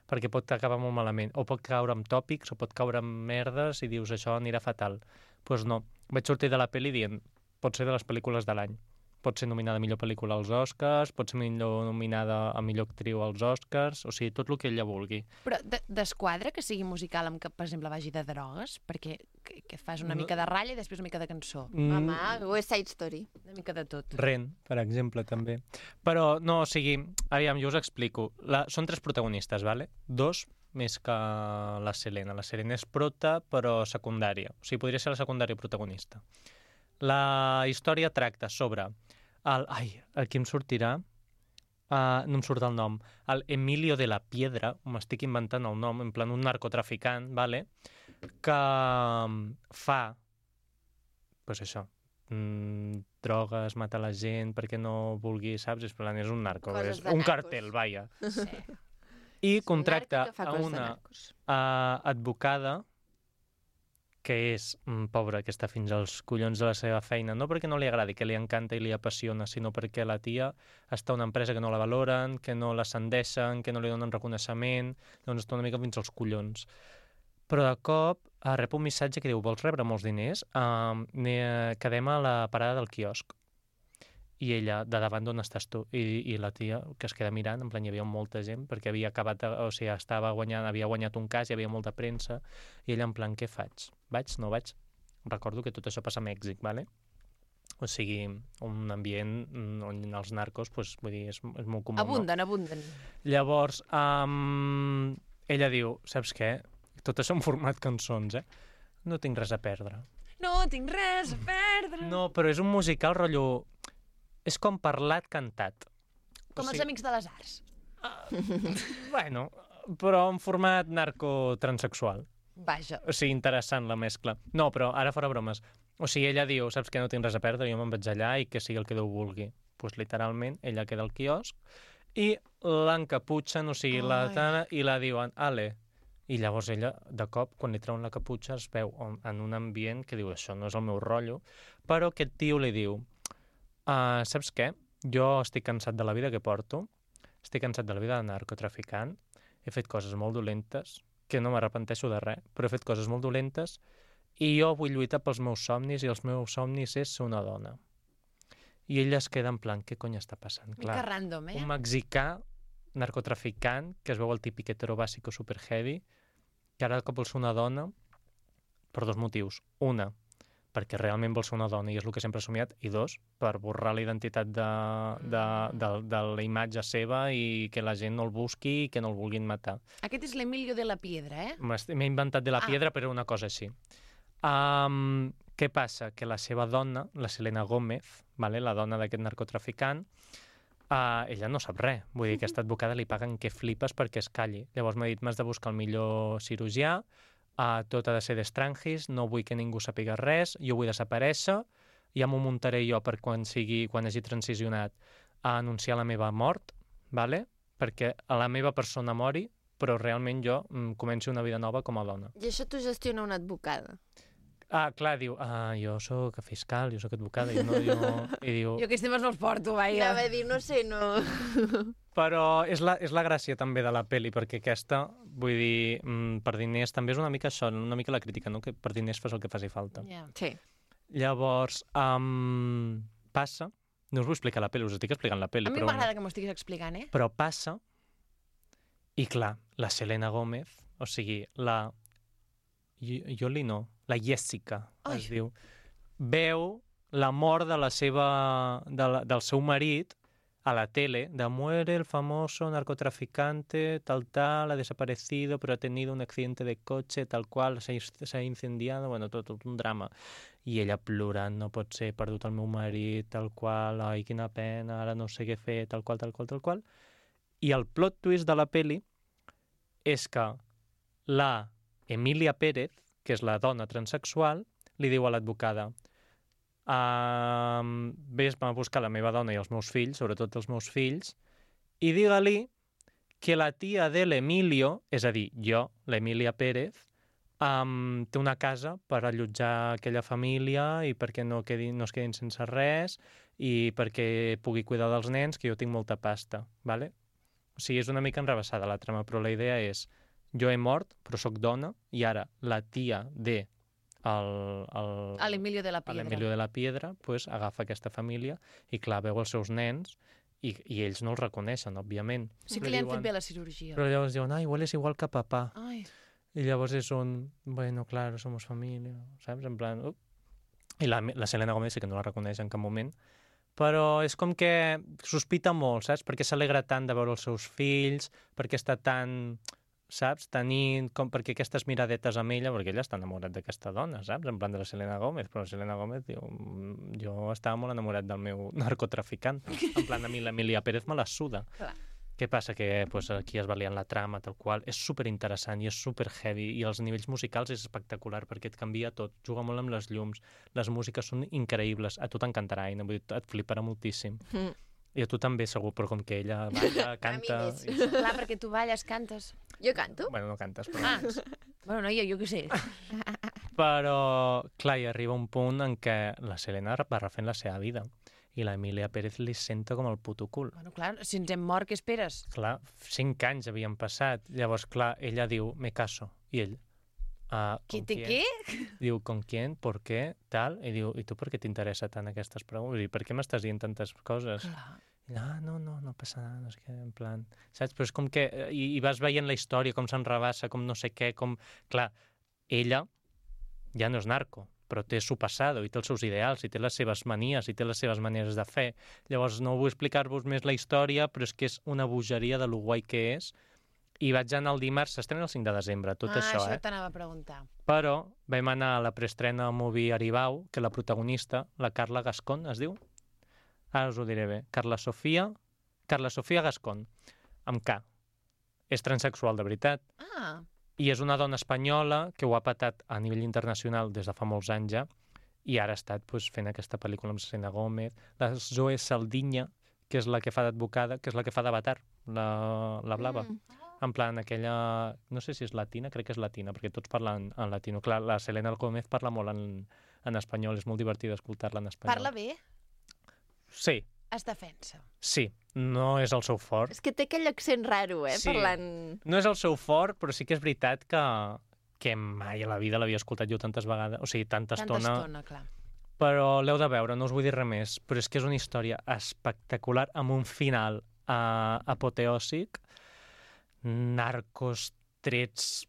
Perquè pot acabar molt malament, o pot caure amb tòpics, o pot caure amb merdes, i dius, això anirà fatal. Doncs pues no, vaig sortir de la pel·li dient, pot ser de les pel·lícules de l'any. Pot ser nominada a millor pel·lícula als Oscars, pot ser nominada a millor actriu als Oscars, o sigui, tot el que ella vulgui. Però desquadra que sigui musical amb que, per exemple, vagi de drogues? Perquè que fas una mica de ratlla i després una mica de cançó. Home, West Side Story. Una mica de tot. Ren, per exemple, també. Però, no, o sigui, aviam, jo us explico. Són 3 protagonistes, vale? 2 més que la Selena. La Selena és prota, però secundària. O sigui, podria ser la secundària protagonista. La història tracta sobre el qui em sortirà, no em surt el nom, el Emilio de la Piedra, m'estic inventant el nom, en plan un narcotraficant, vale? Que fa, pues això, drogues, mata la gent perquè no vulgui, saps? És un narco, Coses és de un narcos. cartel, vaja. Sí. I contracta narco que fa a coses de una narcos. advocada que és pobra, que està fins als collons de la seva feina, no perquè no li agradi, que li encanta i li apassiona, sinó perquè la tia està a una empresa que no la valoren, que no l'ascendeixen, que no li donen reconeixement, doncs està una mica fins als collons. Però de cop rep un missatge que diu, vols rebre molts diners? Quedem a la parada del quiosc. I ella, de davant d'on estàs tu? I la tia, que es queda mirant, en plan, hi havia molta gent, perquè havia acabat, o sigui, havia guanyat un cas, hi havia molta premsa, i ella, en plan, què faig? Vaig? No vaig? Recordo que tot això passa a Mèxic, vale? O sigui, un ambient on els narcos, pues, vull dir, és molt comú, Abunden. Llavors, ella diu, saps què? Tot això en format cançons, No tinc res a perdre. No tinc res a perdre. No, però és un musical rotllo... És com parlat cantat. Com els Amics de les Arts. Bueno, però en format narcotransexual. Vaja. O sigui, interessant la mescla. No, però ara fora bromes. O sigui, ella diu, saps que no tinc res a perdre, jo me'n vaig allà i que sigui el que Déu vulgui. Doncs pues, literalment, ella queda al quiosc i l'encaputxen, o sigui, i la diuen, ale. I llavors ella, de cop, quan li treuen la caputxa, es veu en un ambient que diu, això no és el meu rotllo, però aquest tio li diu, saps què? Jo estic cansat de la vida que porto, estic cansat de la vida de narcotraficant, he fet coses molt dolentes, que no m'arrepenteixo de res, però he fet coses molt dolentes i jo vull lluitar pels meus somnis i els meus somnis és ser una dona. I ella es queda en plan, què cony està passant? Mica random, Un mexicà narcotraficant, que es veu el típic hetero bàsico super heavy, que ara cop vol ser una dona per 2 motius. Una, perquè realment vol ser una dona i és el que sempre ha somiat, i 2, per borrar la identitat de la imatge seva i que la gent no el busqui i que no el vulguin matar. Aquest és l'Emilio de la Piedra, M'he inventat de la piedra, però una cosa així. Què passa? Que la seva dona, la Selena Gómez, vale? La dona d'aquest narcotraficant, ella no sap res. Vull dir, aquesta advocada li paguen que flipes perquè es calli. Llavors m'ha dit, m'has de buscar el millor cirurgià, tot ha de ser d'estrangis, no vull que ningú sàpiga res, jo vull desaparèixer, ja m'ho muntaré jo per quan hagi transicionat a anunciar la meva mort, vale? Perquè a la meva persona mori, però realment jo començo una vida nova com a dona. I això t'ho gestiona una advocada? Clar, diu, jo sóc fiscal, jo sóc advocada, i diu... Jo aquests temes no els porto, vaja. Anava a dir, no sé, no... Però és la gràcia també de la pel·li, perquè aquesta, vull dir, per diners també és una mica això, una mica la crítica, no? Que per diners fas el que faci falta. Yeah. Sí. Llavors, passa, no us vull explicar la pel·li, us estic explicant la pel·li. A mi m'agrada que m'ho estiguis explicant, Però passa, i clar, la Selena Gómez, o sigui, la Jessica, es diu, veu la mort de del seu marit a la tele de muere el famoso narcotraficante, tal, ha desaparecido, pero ha tenido un accidente de coche, tal qual, s'ha incendiado, bueno, tot un drama. I ella plorant, no pot ser, he perdut el meu marit, tal qual, ai, quina pena, ara no sé què fer, tal qual. I el plot twist de la peli és que la Emilia Pérez, que és la dona transexual, li diu a l'advocada: vés-me a buscar la meva dona i els meus fills, sobretot els meus fills, i digue-li que la tia de l'Emilio, és a dir, jo, l'Emilia Pérez, té una casa per allotjar aquella família i perquè no es quedin sense res i perquè pugui cuidar dels nens, que jo tinc molta pasta, ¿vale? O sigui, és una mica enrevessada la trama, però la idea és: jo he mort, però sóc dona, i ara la tia de a l'Emilio de la Piedra pues, agafa aquesta família i, clar, veu els seus nens i ells no els reconeixen, òbviament. Sí que li han fet bé la cirurgia. Però llavors diuen, ai, hueles igual que papà. Ai. I llavors és bueno, claro, somos familia, saps? En plan... I la Selena Gomez sí que no la reconeix en cap moment, però és com que sospita molt, saps? Perquè s'alegra tant de veure els seus fills, perquè està tan... saps? Perquè aquestes miradetes amb ella, perquè ella està enamorat d'aquesta dona, saps? En plan de la Selena Gomez, però la Selena Gomez diu, jo estava molt enamorat del meu narcotraficant. En plan, a mi l'Emilia Pérez me la suda. Clar. Què passa? Que pues, aquí es va liant la trama, tal qual. És superinteressant i és super heavy, i els nivells musicals és espectacular, perquè et canvia tot, juga molt amb les llums, les músiques són increïbles, a tu t'encantarà, Aina, vull dir, et fliparà moltíssim. I a tu també, segur, però com que ella balla, canta... Clar, perquè tu balles, cantes. Jo canto. Bueno, no cantes, però... Bueno, noia, jo què sé. Però, clar, hi arriba un punt en què la Selena va refent la seva vida i la Emilia Pérez li senta com el puto cul. Bueno, clar, si ens hem mort, què esperes? Clar, 5 anys havien passat. Llavors, clar, ella diu, me caso. I ell, ¿Qué? Diu, ¿con quién? ¿Por qué? Tal. I diu, i tu per què t'interessa tant aquestes preguntes? I per què m'estàs dient tantes coses? Clar. I, no passa nada, no sé què, en plan... Saps? Però és com que... I vas veient la història, com s'enrabassa, com no sé què, com... Clar, ella ja no és narco, però té su passado, i té els seus ideals, i té les seves manies, i té les seves maneres de fer. Llavors, no vull explicar-vos més la història, però és que és una bogeria de lo guai que és. I vaig anar el dimarts, s'estrena el 5 de desembre, tot això, això t'anava a preguntar. Però vam anar a la preestrena al Movie Aribau, que la protagonista, la Carla Gascon, es diu? Ara us ho diré bé. Carla Sofia Gascon, amb K. És transexual de veritat. I és una dona espanyola que ho ha patat a nivell internacional des de fa molts anys ja, i ara ha estat fent aquesta pel·lícula amb Selena Gomez, la Zoe Saldiña, que és la que fa d'advocada, que és la que fa d'Avatar, la blava. En plan, aquella... No sé si és latina, crec que és latina, perquè tots parlen en latino. Clar, la Selena Gomez parla molt en espanyol, és molt divertit escoltar-la en espanyol. Parla bé? Sí. Es defensa. Sí, no és el seu fort. És que té aquell accent raro, Sí. parlant... No és el seu fort, però sí que és veritat que mai a la vida l'havia escoltat jo tantes vegades, o sigui, tanta estona, clar. Però l'heu de veure, no us vull dir res més, però és que és una història espectacular, amb un final apoteòsic, narcos, trets,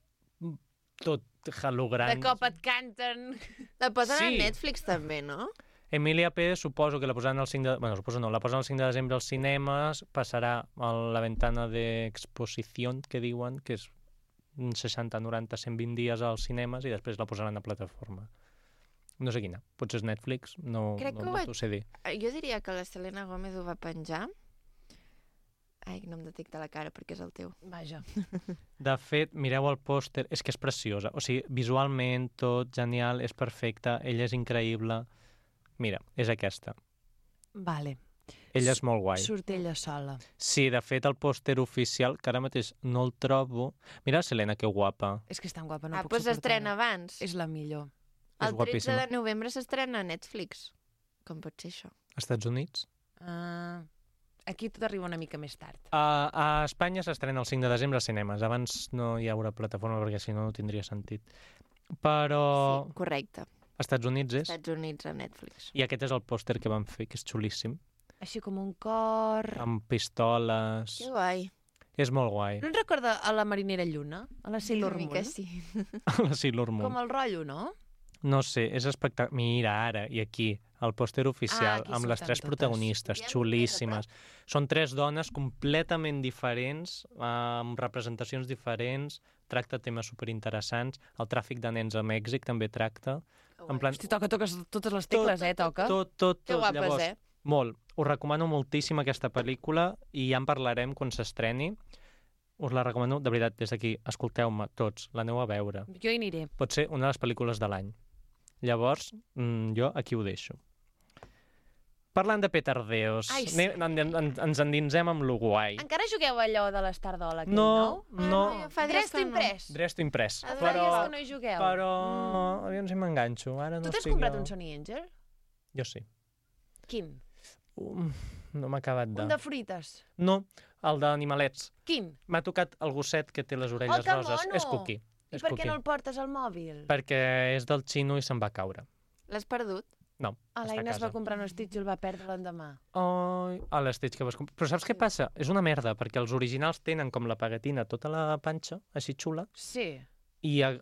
tot holograms. De cop et canten. La posen Sí. a Netflix també, no? Emilia Pérez suposo que la posaran el 5 de... Bueno, suposo no, la posaran el 5 de desembre als cinemes, passarà a la ventana d'exposició, que diuen, que és 60, 90, 120 dies als cinemes, i després la posaran a plataforma. No sé quina, potser és Netflix, no t'ho sé dir. Jo diria que la Selena Gomez ho va penjar. Ai, no em detecta la cara perquè és el teu. Vaja. De fet, mireu el pòster, és que és preciosa. O sigui, visualment, tot, genial, és perfecta, ella és increïble. Mira, és aquesta. Vale. Ella és molt guai. Surt ella sola. Sí, de fet, el pòster oficial, que ara mateix no el trobo... Mira la Selena, que guapa. És que és tan guapa, no puc Doncs s'estrena abans. És la millor. El 13 de novembre s'estrena a Netflix. Com pot ser això? Estats Units? Aquí tot arriba una mica més tard. A Espanya s'estrena el 5 de desembre als cinemes. Abans no hi haurà plataforma perquè si no, no tindria sentit. Però... Sí, correcte. Estats Units és? Estats Units a Netflix. I aquest és el pòster que van fer, que és xulíssim. Així com un cor... Amb pistoles... Que guai. És molt guai. No et recorda a la Marinera Lluna? A la Sailor Moon? Que sí. A la Sailor Moon. Com el rotllo, no? No sé, és espectacular. Mira, ara, i aquí, el pòster oficial, aquí amb les surten 3 totes. protagonistes, I han xulíssimes. Són 3 dones completament diferents, amb representacions diferents, tracta temes superinteressants. El tràfic de nens a Mèxic també tracta. En plan, Hosti, toques totes les tecles, toca. tot. Que guapes, Llavors, molt. Us recomano moltíssim aquesta pel·lícula i ja en parlarem quan s'estreni. Us la recomano, de veritat, des d'aquí. Escolteu-me tots, l'aneu a veure. Jo hi aniré. Pot ser una de les pel·lícules de l'any. Llavors, jo aquí ho deixo. Parlant de petardeos, Ai, sí. ens endinsem amb l'Uruguai. Encara jugueu allò de l'Estardola, aquell No, nou? no. Fa dies Dresto que no. imprès. Dresto imprès. Ah, Però, que no hi jugueu. aviam si m'enganxo. Ara Tu no t'has estic comprat jo. un Sony Angel? Jo sí. Quin? No m'ha acabat de... Un de fruites. No, el d'animalets. Quin? M'ha tocat el gosset que té les orelles que roses. mono! És Cookie. I És per què Cookie. no el portes al mòbil? Perquè és del xino i se'n va caure. L'has perdut? No, L'Aina es està a va casa. comprar un Stitch i el va perdre l'endemà. Ai, a l'Stitch que vas comprar. Però saps què passa? És una merda, perquè els originals tenen com la paguetina tota la panxa, així xula, Sí. i el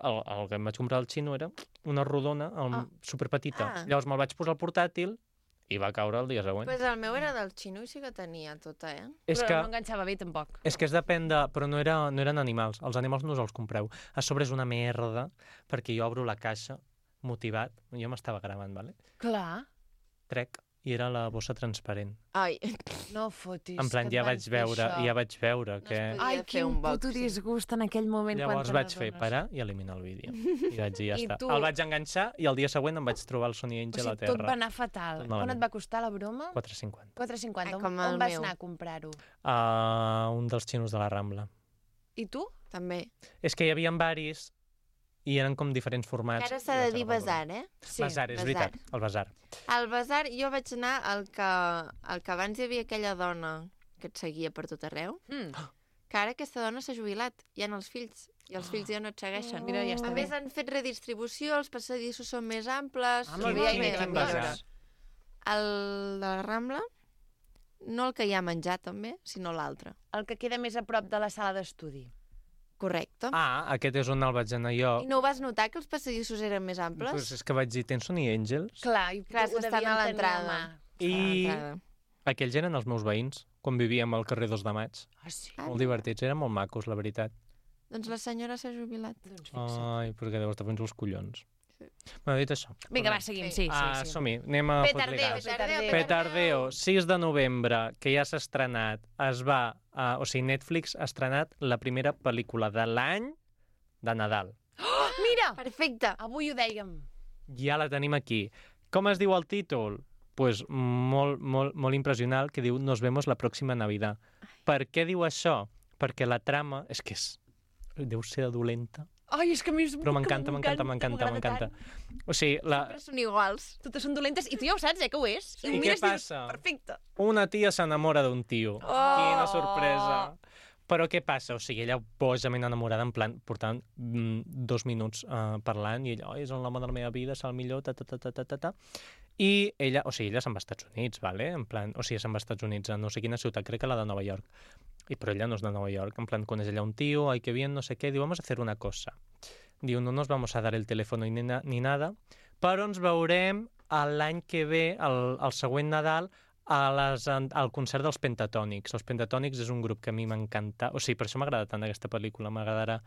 que em vaig comprar al xino era una rodona superpetita. Ah. Llavors me'l vaig posar al portàtil i va caure el dia següent. Pues el meu era del xino i sí que tenia tota, És Però que... no enganxava bé, tampoc. És que es depèn de... Però no eren animals. Els animals no us els compreu. A sobre és una merda, perquè jo obro la caixa motivat. Jo m'estava gravant, vale? Clar. Trec, i era la bossa transparent. Ai, No fotis. En plan, que et ja van vaig fer veure, això. ja vaig veure No que... es podia Ai, fer quin un puto boxing. disgust en aquell moment. Llavors quan vaig te fer n'adones. parar i eliminar el vídeo. I vaig dir, ja I està. tu? El vaig enganxar i el dia següent em vaig trobar el Sony O Angel a sigui, tot va terra. anar fatal. Tot Quan malament. et va costar la broma? 4,50. 4,50. Ai, On, com el on vas meu. anar a comprar-ho? Un dels xinos de la Rambla. I tu? també. És que hi havia varis i eren com diferents formats. Que ara s'ha i de vaig dir agafar el basar, eh? Sí. Basar, és basar. veritat, el basar. Al basar jo vaig anar al que abans hi havia aquella dona que et seguia per tot arreu, que ara aquesta dona s'ha jubilat, hi ha els fills, i els fills ja no et segueixen. Mira, ja està A bé. més, han fet redistribució, els passadissos són més amples... Ah, molt bé, molt Aina, bé, quin la millora. basar? El de la Rambla, no el que hi ha menjar també, sinó l'altre. El que queda més a prop de la sala d'estudi. Correcte. Aquest és on el vaig anar jo. I no ho vas notar, que els passadissos eren més amples? Pues és que vaig dir, tens Sony Angels? Clar, i Clar, ho estan devien a tenir l'entrada. mà. I L'entrada. aquells eren els meus veïns, quan vivíem al carrer 2 de Maig. Ah, sí? Ah, Molt divertits, eren molt macos, la veritat. Doncs la senyora s'ha jubilat. Doncs fixa't. Ai, perquè deu estar fent els collons. Sí. Bueno, dit això. Vinga, va, seguim. Sí, sí. Som-hi, anem a Petardeo, fotligades. Petardeo, 6 de novembre, que ja s'ha estrenat, o sigui, Netflix ha estrenat la primera pel·lícula de l'any de Nadal. Mira! Perfecte. Avui ho dèiem. Ja la tenim aquí. Com es diu el títol? Pues molt impressionant, que diu Nos vemos la próxima Navidad. Per què diu això? Perquè la trama deu ser dolenta, Ai, és que a mi és... però m'encanta. O sigui, Sempre són iguals. Totes són dolentes i tu ja ho saps, que ho és. I què passa? Perfecte. Una tia s'enamora d'un tio. Quina sorpresa. Però què passa? O sigui, ella bojament enamorada, en plan, portant 2 minuts parlant, i ella, és l'home de la meva vida, és el millor, I ella, o sigui, ella se'n va als Estats Units, vale? En plan, o sigui, se'n va als Estats Units, a no sé quina ciutat, crec que la de Nova York. Però ella no és de Nova York, en plan, coneix ella un tío, ay, qué bien, no sé qué, diu, vamos a hacer una cosa. Diu, no nos vamos a dar el teléfono ni nada, però ens veurem l'any que ve, el següent Nadal, al concert dels Pentatònics. Els Pentatònics és un grup que a mi m'encanta, o sigui, per això m'agrada tant aquesta pel·lícula, m'agradarà.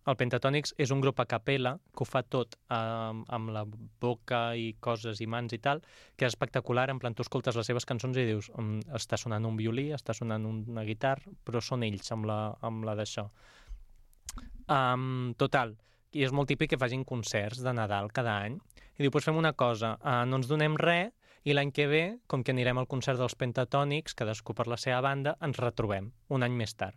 El Pentatònics és un grup a capella que ho fa tot amb la boca i coses i mans i tal, que és espectacular, en plan, tu escoltes les seves cançons i dius, està sonant un violí, està sonant una guitarra, però són ells amb la d'això. Total, i és molt típic que facin concerts de Nadal cada any, i diu, doncs fem una cosa, no ens donem res, i l'any que ve, com que anirem al concert dels Pentatònics, cadascú per la seva banda, ens retrobem, un any més tard.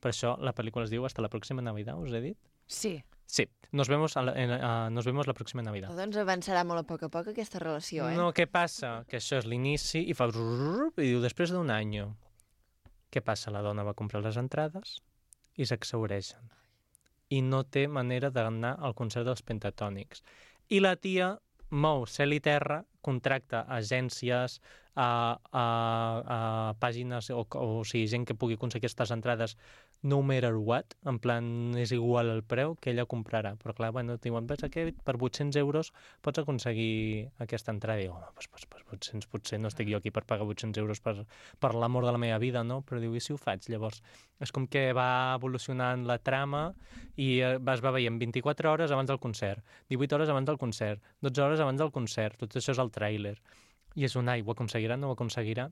Per això la pel·lícula es diu Hasta la próxima Navidad, us he dit? Sí. Sí, nos vemos la próxima Navidad. Doncs avançarà molt a poc aquesta relació, No, què passa? Que això és l'inici i fa... I diu, després d'un any. Què passa? La dona va comprar les entrades i s'exhaureixen. I no té manera d'anar al concert dels Pentatònics. I la tia mou cel i terra, contracta agències, pàgines, o sigui, gent que pugui aconseguir aquestes entrades no matter what, en plan, és igual el preu que ella comprarà. Però clar, bueno, diuen, ves que per 800 euros pots aconseguir aquesta entrada. I diu, home, pues 800, potser no estic jo aquí per pagar 800 euros per l'amor de la meva vida, no? Però diu, i si ho faig? Llavors, és com que va evolucionant la trama i es va veient 24 hores abans del concert, 18 hores abans del concert, 12 hores abans del concert, tot això és el tràiler. I és un, ho aconseguirà, no ho aconseguirà?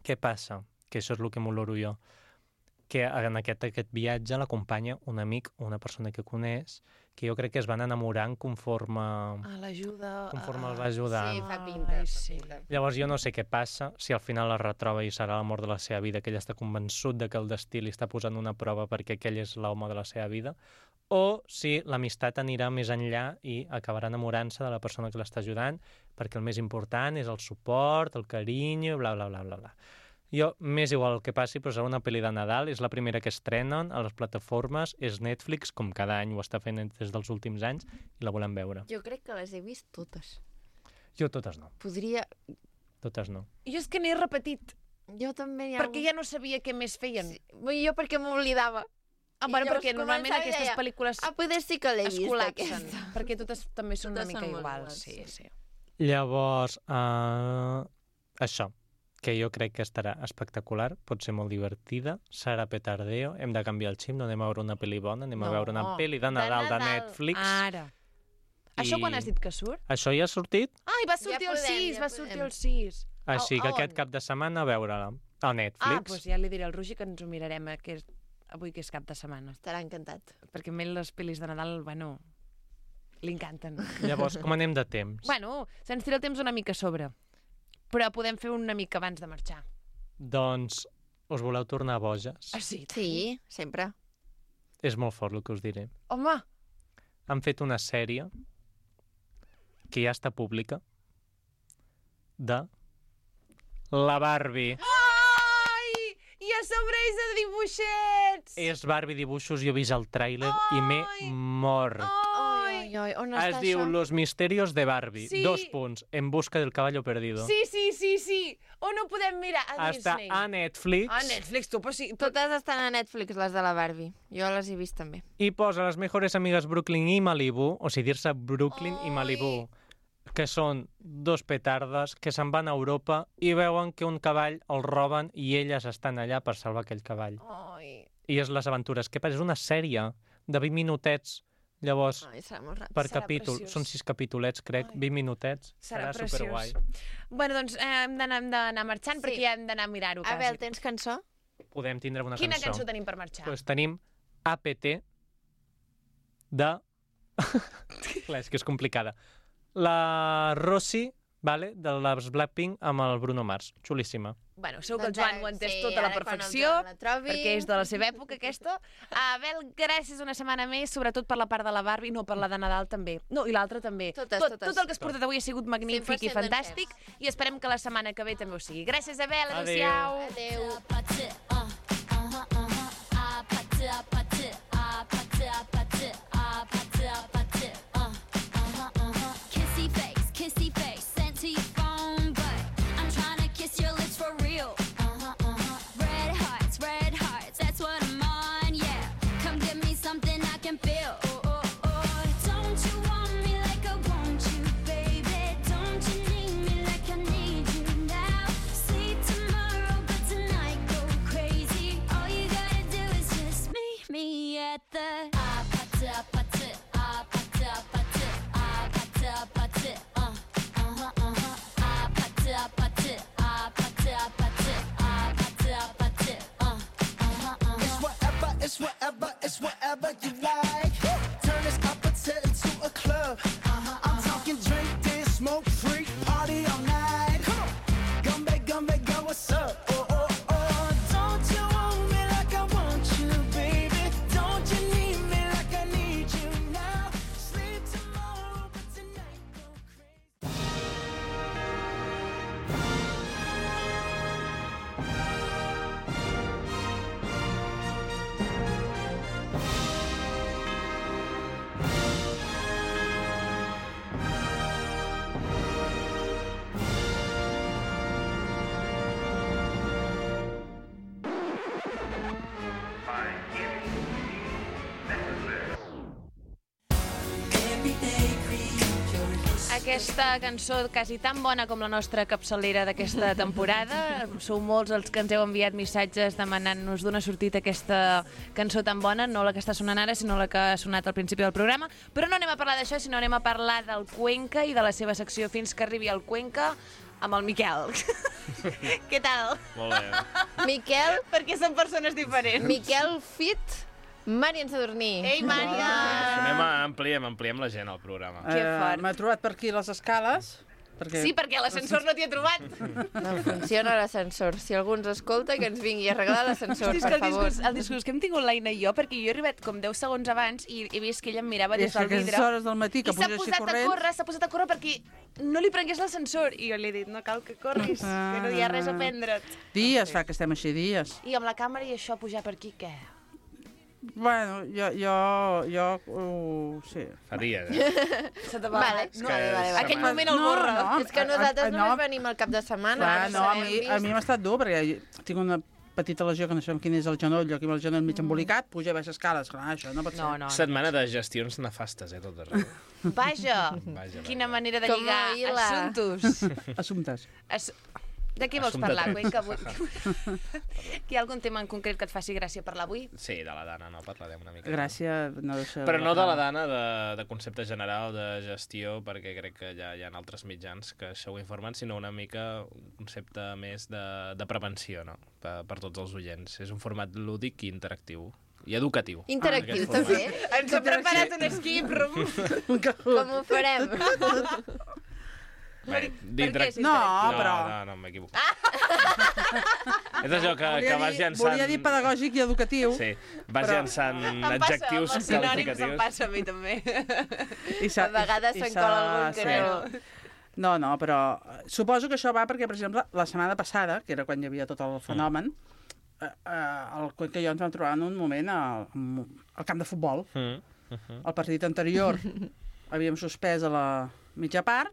Què passa? Que això és el que m'oloro jo. Que en aquest viatge l'acompanya un amic o una persona que coneix, que jo crec que es van enamorant conforme el va ajudant. Sí, fa pinta. Sí. Llavors jo no sé què passa, si al final es retroba i serà l'amor de la seva vida, que ell està convençut de que el destí li està posant una prova perquè aquell és l'home de la seva vida, o si l'amistat anirà més enllà i acabarà enamorant-se de la persona que l'està ajudant, perquè el més important és el suport, el carinyo, bla, bla, bla, bla, bla. Jo, m'és igual el que passi, però serà una pel·li de Nadal, és la primera que estrenen a les plataformes, és Netflix, com cada any ho està fent des dels últims anys, i la volem veure. Jo crec que les he vist totes. Jo totes no. Podria... Totes no. Jo és que n'he repetit, Jo també perquè ja no sabia què més feien. Sí. Jo perquè m'oblidava. Bueno, llavors perquè normalment començava i aquestes deia, pel·lícules poder sí que l'he es vist, col·lapsen, aquesta. perquè totes també són una Totes mica són molt iguals. iguals, Sí. Llavors, això, que jo crec que estarà espectacular, pot ser molt divertida, serà petardeo, hem de canviar el xip, no anem a veure una pel·li bona, anem a veure una pel·li de Nadal de Netflix. Ara. Això quan has dit que surt? Això ja ha sortit? Ai, va sortir Ja el podem, 6, ja va podem. sortir el 6. Així que on? aquest cap de setmana a veure-la a Netflix. Doncs ja li diré al Roger que ens ho mirarem avui que és cap de setmana. Estarà encantat. Perquè a mi les pel·lis de Nadal, bueno, li encanten. Llavors, com anem de temps? Bueno, se'ns tira el temps una mica a sobre, però podem fer una mica abans de marxar. Doncs us voleu tornar boges? Sí? Sí, sempre. És molt fort el que us diré. Home! Han fet una sèrie que ja està pública de la Barbie. Ai! I a sobre és de dibuixets! És Barbie dibuixos, jo he vist el tràiler i m'he mort. Ai, on Es està diu això? Los misterios de Barbie. Sí. 2 punts. En busca del caballo perdido. Sí. On ho podem mirar? A Està Disney. a Netflix. A Netflix, tu, però sí. Totes estan a Netflix, les de la Barbie. Jo les he vist també. I posa les mejores amigas Brooklyn i Malibu, o sigui, dir-se Brooklyn i Malibu, que són 2 petardes que se'n van a Europa i veuen que un cavall el roben i elles estan allà per salvar aquell cavall. Ai. I és les aventures. Què passa? És una sèrie de 20 minutets. Llavors, Ai, serà molt ràpid. per Serà capítol, preciós. són 6 capítolets, crec, Ai. 20 minutets. Serà superguai. preciós. Bueno, doncs hem d'anar marxant Sí. perquè ja hem d'anar a mirar-ho. Abel, tens cançó? Podem tindre una Quina cançó. cançó tenim per marxar? Pues tenim APT de... Clar, és que és complicada. La Rossi, vale, de les Blackpink amb el Bruno Mars. Xulíssima. Bueno, segur que el Doncs Joan ho ha entès sí, tot a la ara quan el perfecció, Joan la trobi. perquè és de la seva època, aquesta. Abel, gràcies una setmana més, sobretot per la part de la Barbie, no per la de Nadal també. No, i l'altra també. Totes. Tot el que has portat avui ha sigut magnífic i 100% fantàstic, i esperem que la setmana que ve també ho sigui. Gràcies, Abel, Adéu. adéu-siau. Adéu. Kissy face, sent to your phone, but I'm trying to kiss your lips for real. Red hearts, that's what I'm on, yeah. Come give me something I can feel. Don't you want me like I want you, baby? Don't you need me like I need you now? Sleep tomorrow, but tonight go crazy. All you gotta do is just me. aquesta cançó quasi tan bona com la nostra capçalera d'aquesta temporada. Sou molts els que ens heu enviat missatges demanant-nos d'una sortida aquesta cançó tan bona, no la que està sonant ara, sinó la que ha sonat al principi del programa. Però no anem a parlar d'això, sinó anem a parlar del Cuenca i de la seva secció Fins que arribi al Cuenca amb el Miquel. Què tal? Molt bé. Miquel, Perquè són persones diferents. Miquel Fit, Màrian Sadurní. Ei, Mària! Ampliem la gent al programa. Que fort. M'he trobat per aquí les escales. Perquè... Sí, perquè l'ascensor no t'hi ha trobat. No funciona l'ascensor. Si algú ens escolta, que ens vingui a arreglar l'ascensor, Hosti, és que per favor. el discurs que hem tingut l'Aina i jo, perquè jo he arribat com 10 segons abans i he vist que ella em mirava I des és que del vidre. aquestes hores del matí que I s'ha puja així posat a corrents... córrer, s'ha posat a córrer perquè no li prengués l'ascensor. I jo li he dit, no cal que corris, que no hi ha res a prendre't. Dies fa que estem així, dies. I amb la càmera i això, pujar per aquí, què? Bueno, sí. Fa dies, Se te Vale, No, vale. Aquell moment el No, borra. no, És que nosaltres no. només venim al cap de setmana. Clar, no no, a sabem mi m'ha estat dur, perquè tinc una petita lesió que no sabem quin és el genoll, aquí amb el genoll mig embolicat, puja a baix escales, clar, això no pot ser. No. Setmana de gestions nefastes, tot arreu. Vaja, Vaja. quina manera de Com lligar ahir la- assumptos. Assumptes. De què vols Assumpte parlar, tres. Cuenca? Hi ha algun tema en concret que et faci gràcia parlar avui? Sí, de la Dana, no parlarem una mica. Gràcia, no deixa... Però no de la Dana, de concepte general, de gestió, perquè crec que ja hi ha altres mitjans que això ho informen, sinó una mica un concepte més de prevenció, no? Per tots els oients. És un format lúdic i interactiu. I educatiu. Interactiu, Aquest també. Ens ha preparat un skip room. Com ho farem? Bé, Per què és No, interactiu? però... No, m'equivoco. És allò que vas llançant... Volia dir pedagògic i educatiu. Sí, vas llançant Em passa, adjectius amb els sinònims em qualificatius. passa a mi també. I A vegades se'n cola algun que no. No, però suposo que això va perquè, per exemple, la setmana passada, que era quan hi havia tot el fenomen, el Cuenca i jo ens vam trobar en un moment al camp de futbol. El partit anterior havíem suspès a la mitja part,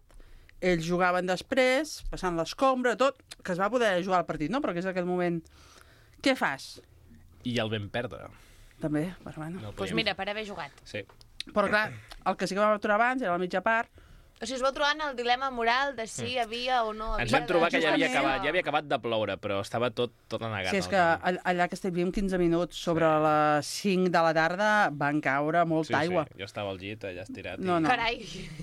ells jugaven després, passant l'escombra, tot, que es va poder jugar al partit, no? Però que és aquell moment... Què fas? I el vam perdre. També, però bueno. No el Doncs podíem- mira, per haver jugat. Sí. Però clar, el que sí que vam aturar abans era la mitja part. O sigui, us vau trobar en el dilema moral de si hi havia o no havia... Ens vam trobar que ja havia Justament. acabat de ploure, però estava tot anegat. Sí, és que allà que estàvem 15 minuts sobre les 5 de la tarda van caure molta aigua. Sí. Jo estava al llit, allà estirat. No, no. Carai,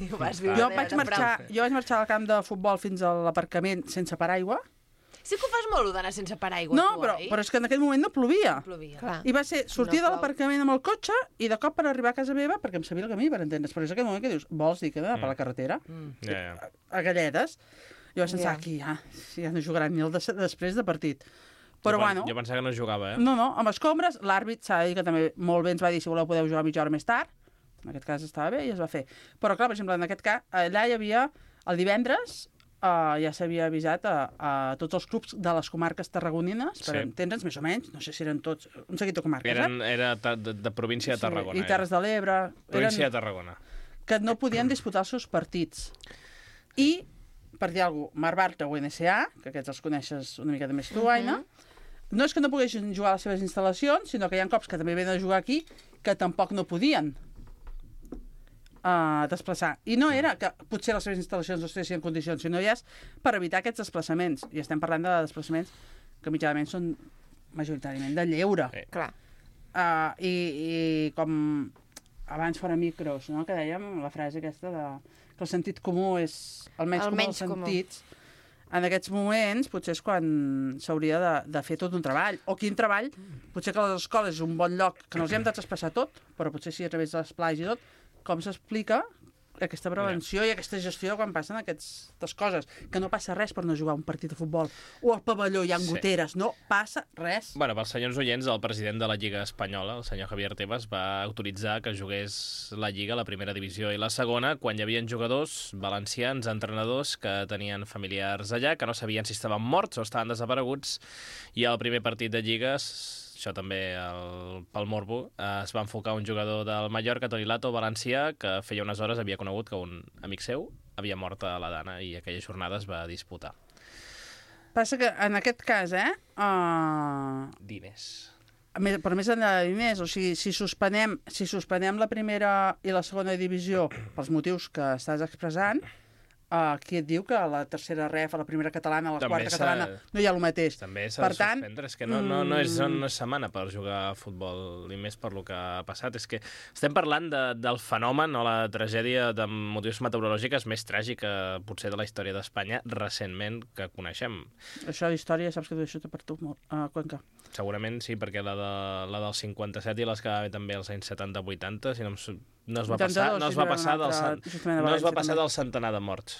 ho vas viure Jo de vaig prop. marxar al camp de futbol fins a l'aparcament sense paraigua. Sí que ho fas molt, d'anar sense paraigua, No, tu, però és que en aquell moment no plovia. Plovia. Clar. I va ser sortir No de plou. l'aparcament amb el cotxe i de cop per arribar a casa meva, perquè em sabia el camí, per entendre's. Però és aquell moment que dius, vols dir que he d'anar per la carretera? Ja. A galledes. Jo vaig pensar, Ja. aquí ja no jugaran ni el després de partit. Però bueno, Jo pensava que no jugava, no, amb escombres, l'àrbit s'ha de dir que també molt bé ens va dir si voleu podeu jugar mitja hora més tard. En aquest cas estava bé i es va fer. Però clar, per exemple, en aquest cas, allà hi havia el divendres, ja s'havia avisat a tots els clubs de les comarques tarragonines, per Sí. entendre'ns, més o menys, no sé si eren tots, un seguit de comarques, Era de província de Tarragona. I Terres de l'Ebre. Província de Tarragona. Que no podien disputar els seus partits. I, per dir alguna cosa, Mar Bartra o NSA, que aquests els coneixes una mica de més tu, Aina, no és que no poguessin jugar a les seves instal·lacions, sinó que hi ha cops que també venen a jugar aquí que tampoc no podien desplaçar. I no era que potser les seves instal·lacions no estiguessin en condicions, sinó ja és per evitar aquests desplaçaments. I estem parlant de desplaçaments que mitjanament són majoritàriament de lleure. Sí. Clar. I com abans fora micros, no? Que dèiem la frase aquesta de que el sentit comú és el menys comú dels sentits. En aquests moments potser és quan s'hauria de fer tot un treball. O quin treball, potser que les escoles és un bon lloc que no els hem de traspassar tot, però potser sí a través de les plages i tot, com s'explica aquesta prevenció i aquesta gestió quan passen aquestes coses. Que no passa res per no jugar un partit de futbol. O al pavelló hi ha goteres. No passa res. Bueno, pels senyors oients, el president de la Lliga Espanyola, el senyor Javier Tebas, va autoritzar que jugués la Lliga, la primera divisió i la segona, quan hi havia jugadors valencians, entrenadors, que tenien familiars allà, que no sabien si estaven morts o estaven desapareguts, i al primer partit de Lligues, això també pel Morbo, es va enfocar un jugador del Mallorca, Toni Lato, valencià, que feia unes hores havia conegut que un amic seu havia mort a la Dana i aquella jornada es va disputar. Passa que en aquest cas, Diners. però més enllà de diners, o sigui, si suspenem la primera i la segona divisió pels motius que estàs expressant, qui et diu que a la tercera ref, a la primera catalana, a la També quarta catalana, no hi ha el mateix. També s'ha Per de tant, suspendre, és que no és setmana per jugar a futbol, i més per lo que ha passat. És que estem parlant del fenomen o la tragèdia de motius meteorològics més tràgica, potser, de la història d'Espanya recentment que coneixem. Això d'història, saps que t'ho deixo per tu, Cuenca. Segurament sí, perquè la del 57 i les que va haver també als anys 70-80, si no es va passar del centenar de morts.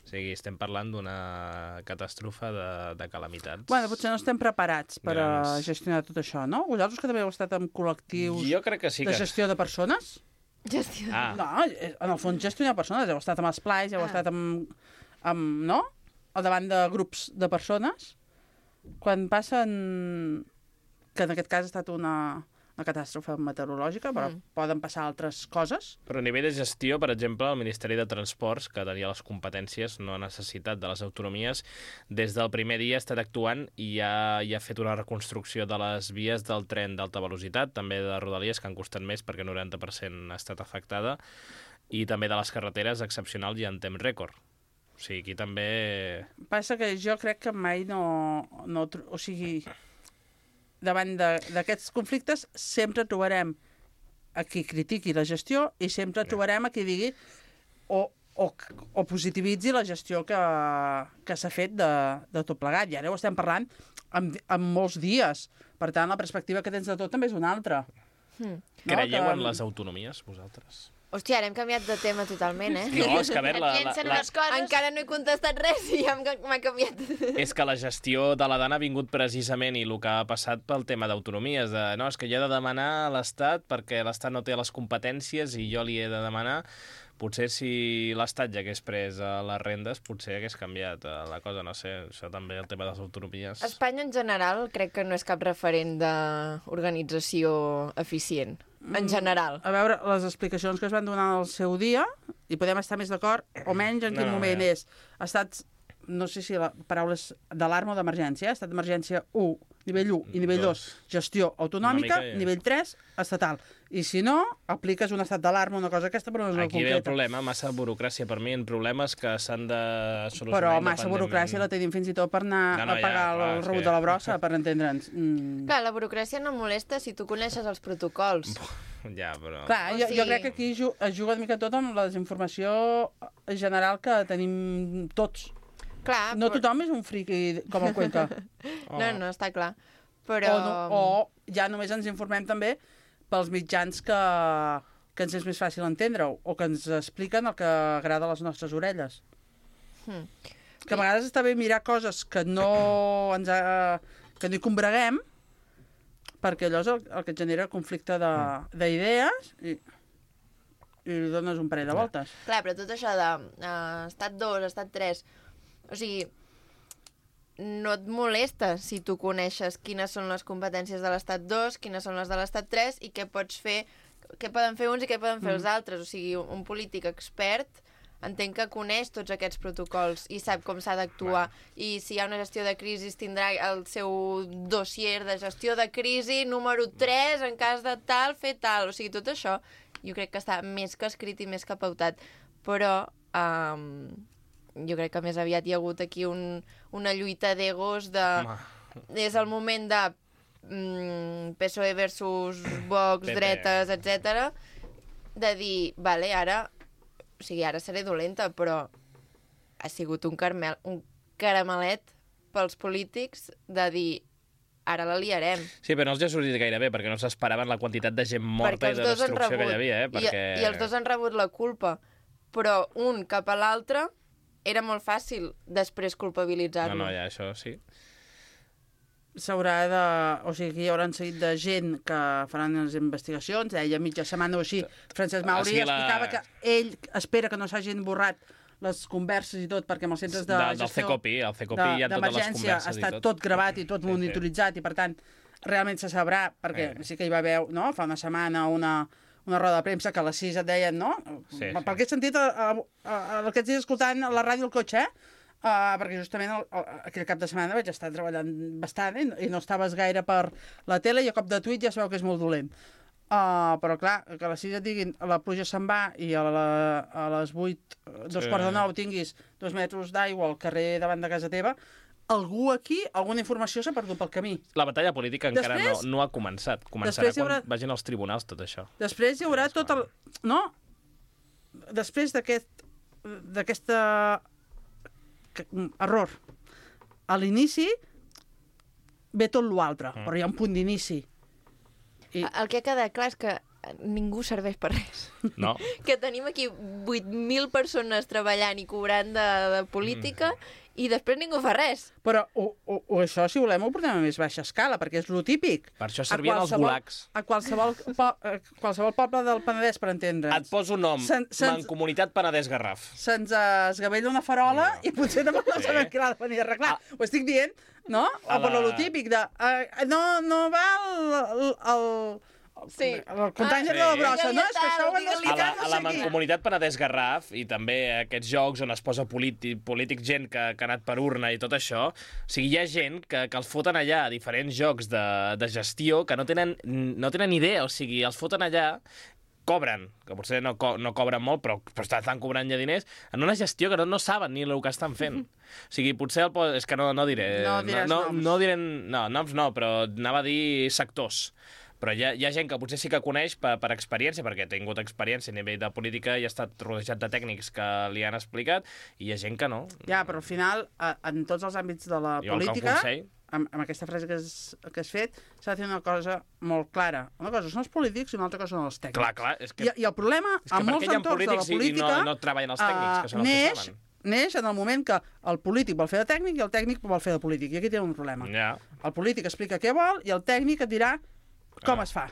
O sigui, estem parlant d'una catàstrofe de calamitats. Bueno, potser no estem preparats per gestionar tot això, no? Vosaltres que també heu estat en col·lectius jo crec que sí de gestió de persones? Gestió. No, en el fons gestionar persones. Heu estat amb esplais, heu estat amb no? Al davant de grups de persones. Quan passen, que en aquest cas ha estat una catàstrofe meteorològica, però poden passar altres coses. Però a nivell de gestió, per exemple, el Ministeri de Transports, que tenia les competències, no ha necessitat de les autonomies, des del primer dia ha estat actuant i ha fet una reconstrucció de les vies del tren d'alta velocitat, també de Rodalies, que han costat més perquè el 90% ha estat afectada, i també de les carreteres excepcional i en temps rècord. O sigui, aquí també... Passa que jo crec que mai o sigui, davant d'aquests conflictes sempre trobarem a qui critiqui la gestió i sempre trobarem a qui digui o positivitzi la gestió que s'ha fet de tot plegat. I ara ho estem parlant en molts dies. Per tant, la perspectiva que tens de tot també és una altra. Creieu en les autonomies, vosaltres? Hòstia, ara hem canviat de tema totalment, eh? No, és que a veure... Encara no he contestat res i ja m'ha canviat. És que la gestió de la Dana ha vingut precisament i el que ha passat pel tema d'autonomies. No, és que jo he de demanar a l'Estat perquè l'Estat no té les competències i jo li he de demanar. Potser si l'Estat ja hagués pres les rendes, potser hagués canviat la cosa, no sé, això també, el tema de les autonomies. Espanya, en general, crec que no és cap referent d'organització eficient. En general. A veure, les explicacions que es van donar al seu dia, i podem estar més d'acord o menys en quin moment és. Ha estat, no sé si la paraula és d'alarma o d'emergència, ha estat emergència 1, nivell 1 i nivell 2, gestió autonòmica, nivell 3, estatal. I si no, apliques un estat d'alarma, una cosa aquesta, però no és molt concreta. Aquí ve el problema, massa burocràcia per mi, en problemes que s'han de solucionar. Però massa burocràcia la tenim fins i tot per anar a pagar el rebut de la brossa, per entendre'ns. Clar, la burocràcia no molesta si tu coneixes els protocols. Ja, però... Clar, jo crec que aquí es juga una mica tot amb la desinformació general que tenim tots. Clar, no tothom és un friqui com el Cuenca. No, està clar. Però... O ja només ens informem també pels mitjans que ens és més fàcil entendre-ho, o que ens expliquen el que agrada a les nostres orelles. Que a vegades està bé mirar coses que no hi combreguem, perquè allò és el que et genera conflicte d'idees i li dones un parell de voltes. Clar, però tot això de estat 2, estat 3, o sigui, no et molesta si tu coneixes quines són les competències de l'estat 2, quines són les de l'estat 3 i què pots fer, què poden fer uns i què poden fer els altres. O sigui, un polític expert entenc que coneix tots aquests protocols i sap com s'ha d'actuar. I si hi ha una gestió de crisi tindrà el seu dossier de gestió de crisi número 3, en cas de tal, fer tal. O sigui, tot això jo crec que està més que escrit i més que pautat. Però jo crec que més aviat hi ha hagut aquí una lluita d'egos de... És el moment de PSOE versus Vox, dretes, etc. De dir, vale, ara... O sigui, ara seré dolenta, però ha sigut un caramelet pels polítics de dir, ara la liarem. Sí, però no els ha sortit gaire bé, perquè no s'esperaven la quantitat de gent morta i de destrucció que hi havia, Perquè... I els dos han rebut la culpa, però un cap a l'altre era molt fàcil després culpabilitzar-lo. No, ja, això sí. S'haurà de... O sigui, hi haurà un seguit de gent que faran les investigacions, deia mitja setmana o així. Francesc Mauri explicava que ell espera que no s'hagin borrat les converses i tot, perquè amb els centres de gestió... Del CECOPI, el CECOPI hi ha totes les converses i tot. Està tot gravat i tot monitoritzat i, per tant, realment se sabrà, perquè sí que hi va haver, no?, fa una setmana una roda de premsa que a les 6 et deien, no? Sí. Per què he sentit aquests dies escoltant la ràdio al cotxe, perquè justament aquell cap de setmana vaig estar treballant bastant i no estaves gaire per la tele i a cop de tuit ja sabeu que és molt dolent. però clar, que a les 6 et diguin la pluja se'n va i a les 8, 8:45 tinguis 2 metres d'aigua al carrer davant de casa teva, algú aquí, alguna informació s'ha perdut pel camí. La batalla política encara Després- no ha començat. Començarà després hi haurà- quan vagin als tribunals tot això. Després hi haurà tot el... No? Després d'aquesta error. A l'inici ve tot l'altre, però hi ha un punt d'inici. I... El que ha quedat clar és que ningú serveix per res. No? Que tenim aquí 8.000 persones treballant i cobrant de política i després ningú fa res. Però això, si volem, ho portem a més baixa escala, perquè és lo típic. Per això servien els gulags. A qualsevol poble del Penedès, per entendre's. Et poso nom, Mancomunitat Penedès Garraf. Se'ns esgavella una farola i potser tampoc no sabem què l'ha de venir a arreglar. Ho estic dient, no? O per lo típic de... no va el container de la brossa, no? És que això ho hem d'explicar, A la Mancomunitat Penedès Garraf i també aquests jocs on es posa polític gent que ha anat per urna i tot això, o sigui, hi ha gent que els foten allà a diferents jocs de gestió que no tenen idea, o sigui, els foten allà, cobren, que potser no cobren molt, però estan cobrant ja diners, en una gestió que no saben ni el que estan fent. O sigui, potser és que no diré... No diré noms no, però anava a dir sectors. Però hi ha gent que potser sí que coneix per experiència, perquè ha tingut experiència a nivell de política i ha estat rodejat de tècnics que li han explicat, i hi ha gent que no. Ja, però al final, en tots els àmbits de la política, amb aquesta frase que has fet, s'ha de fer una cosa molt clara. Una cosa són els polítics i una altra cosa són els tècnics. Clar, és que... I el problema, en molts entorns de la política... no treballen els tècnics, que són els que saben. Neix en el moment que el polític vol fer de tècnic i el tècnic vol fer de polític. I aquí té un problema. Ja. El polític explica què vol i el tècnic et dirà com es fa.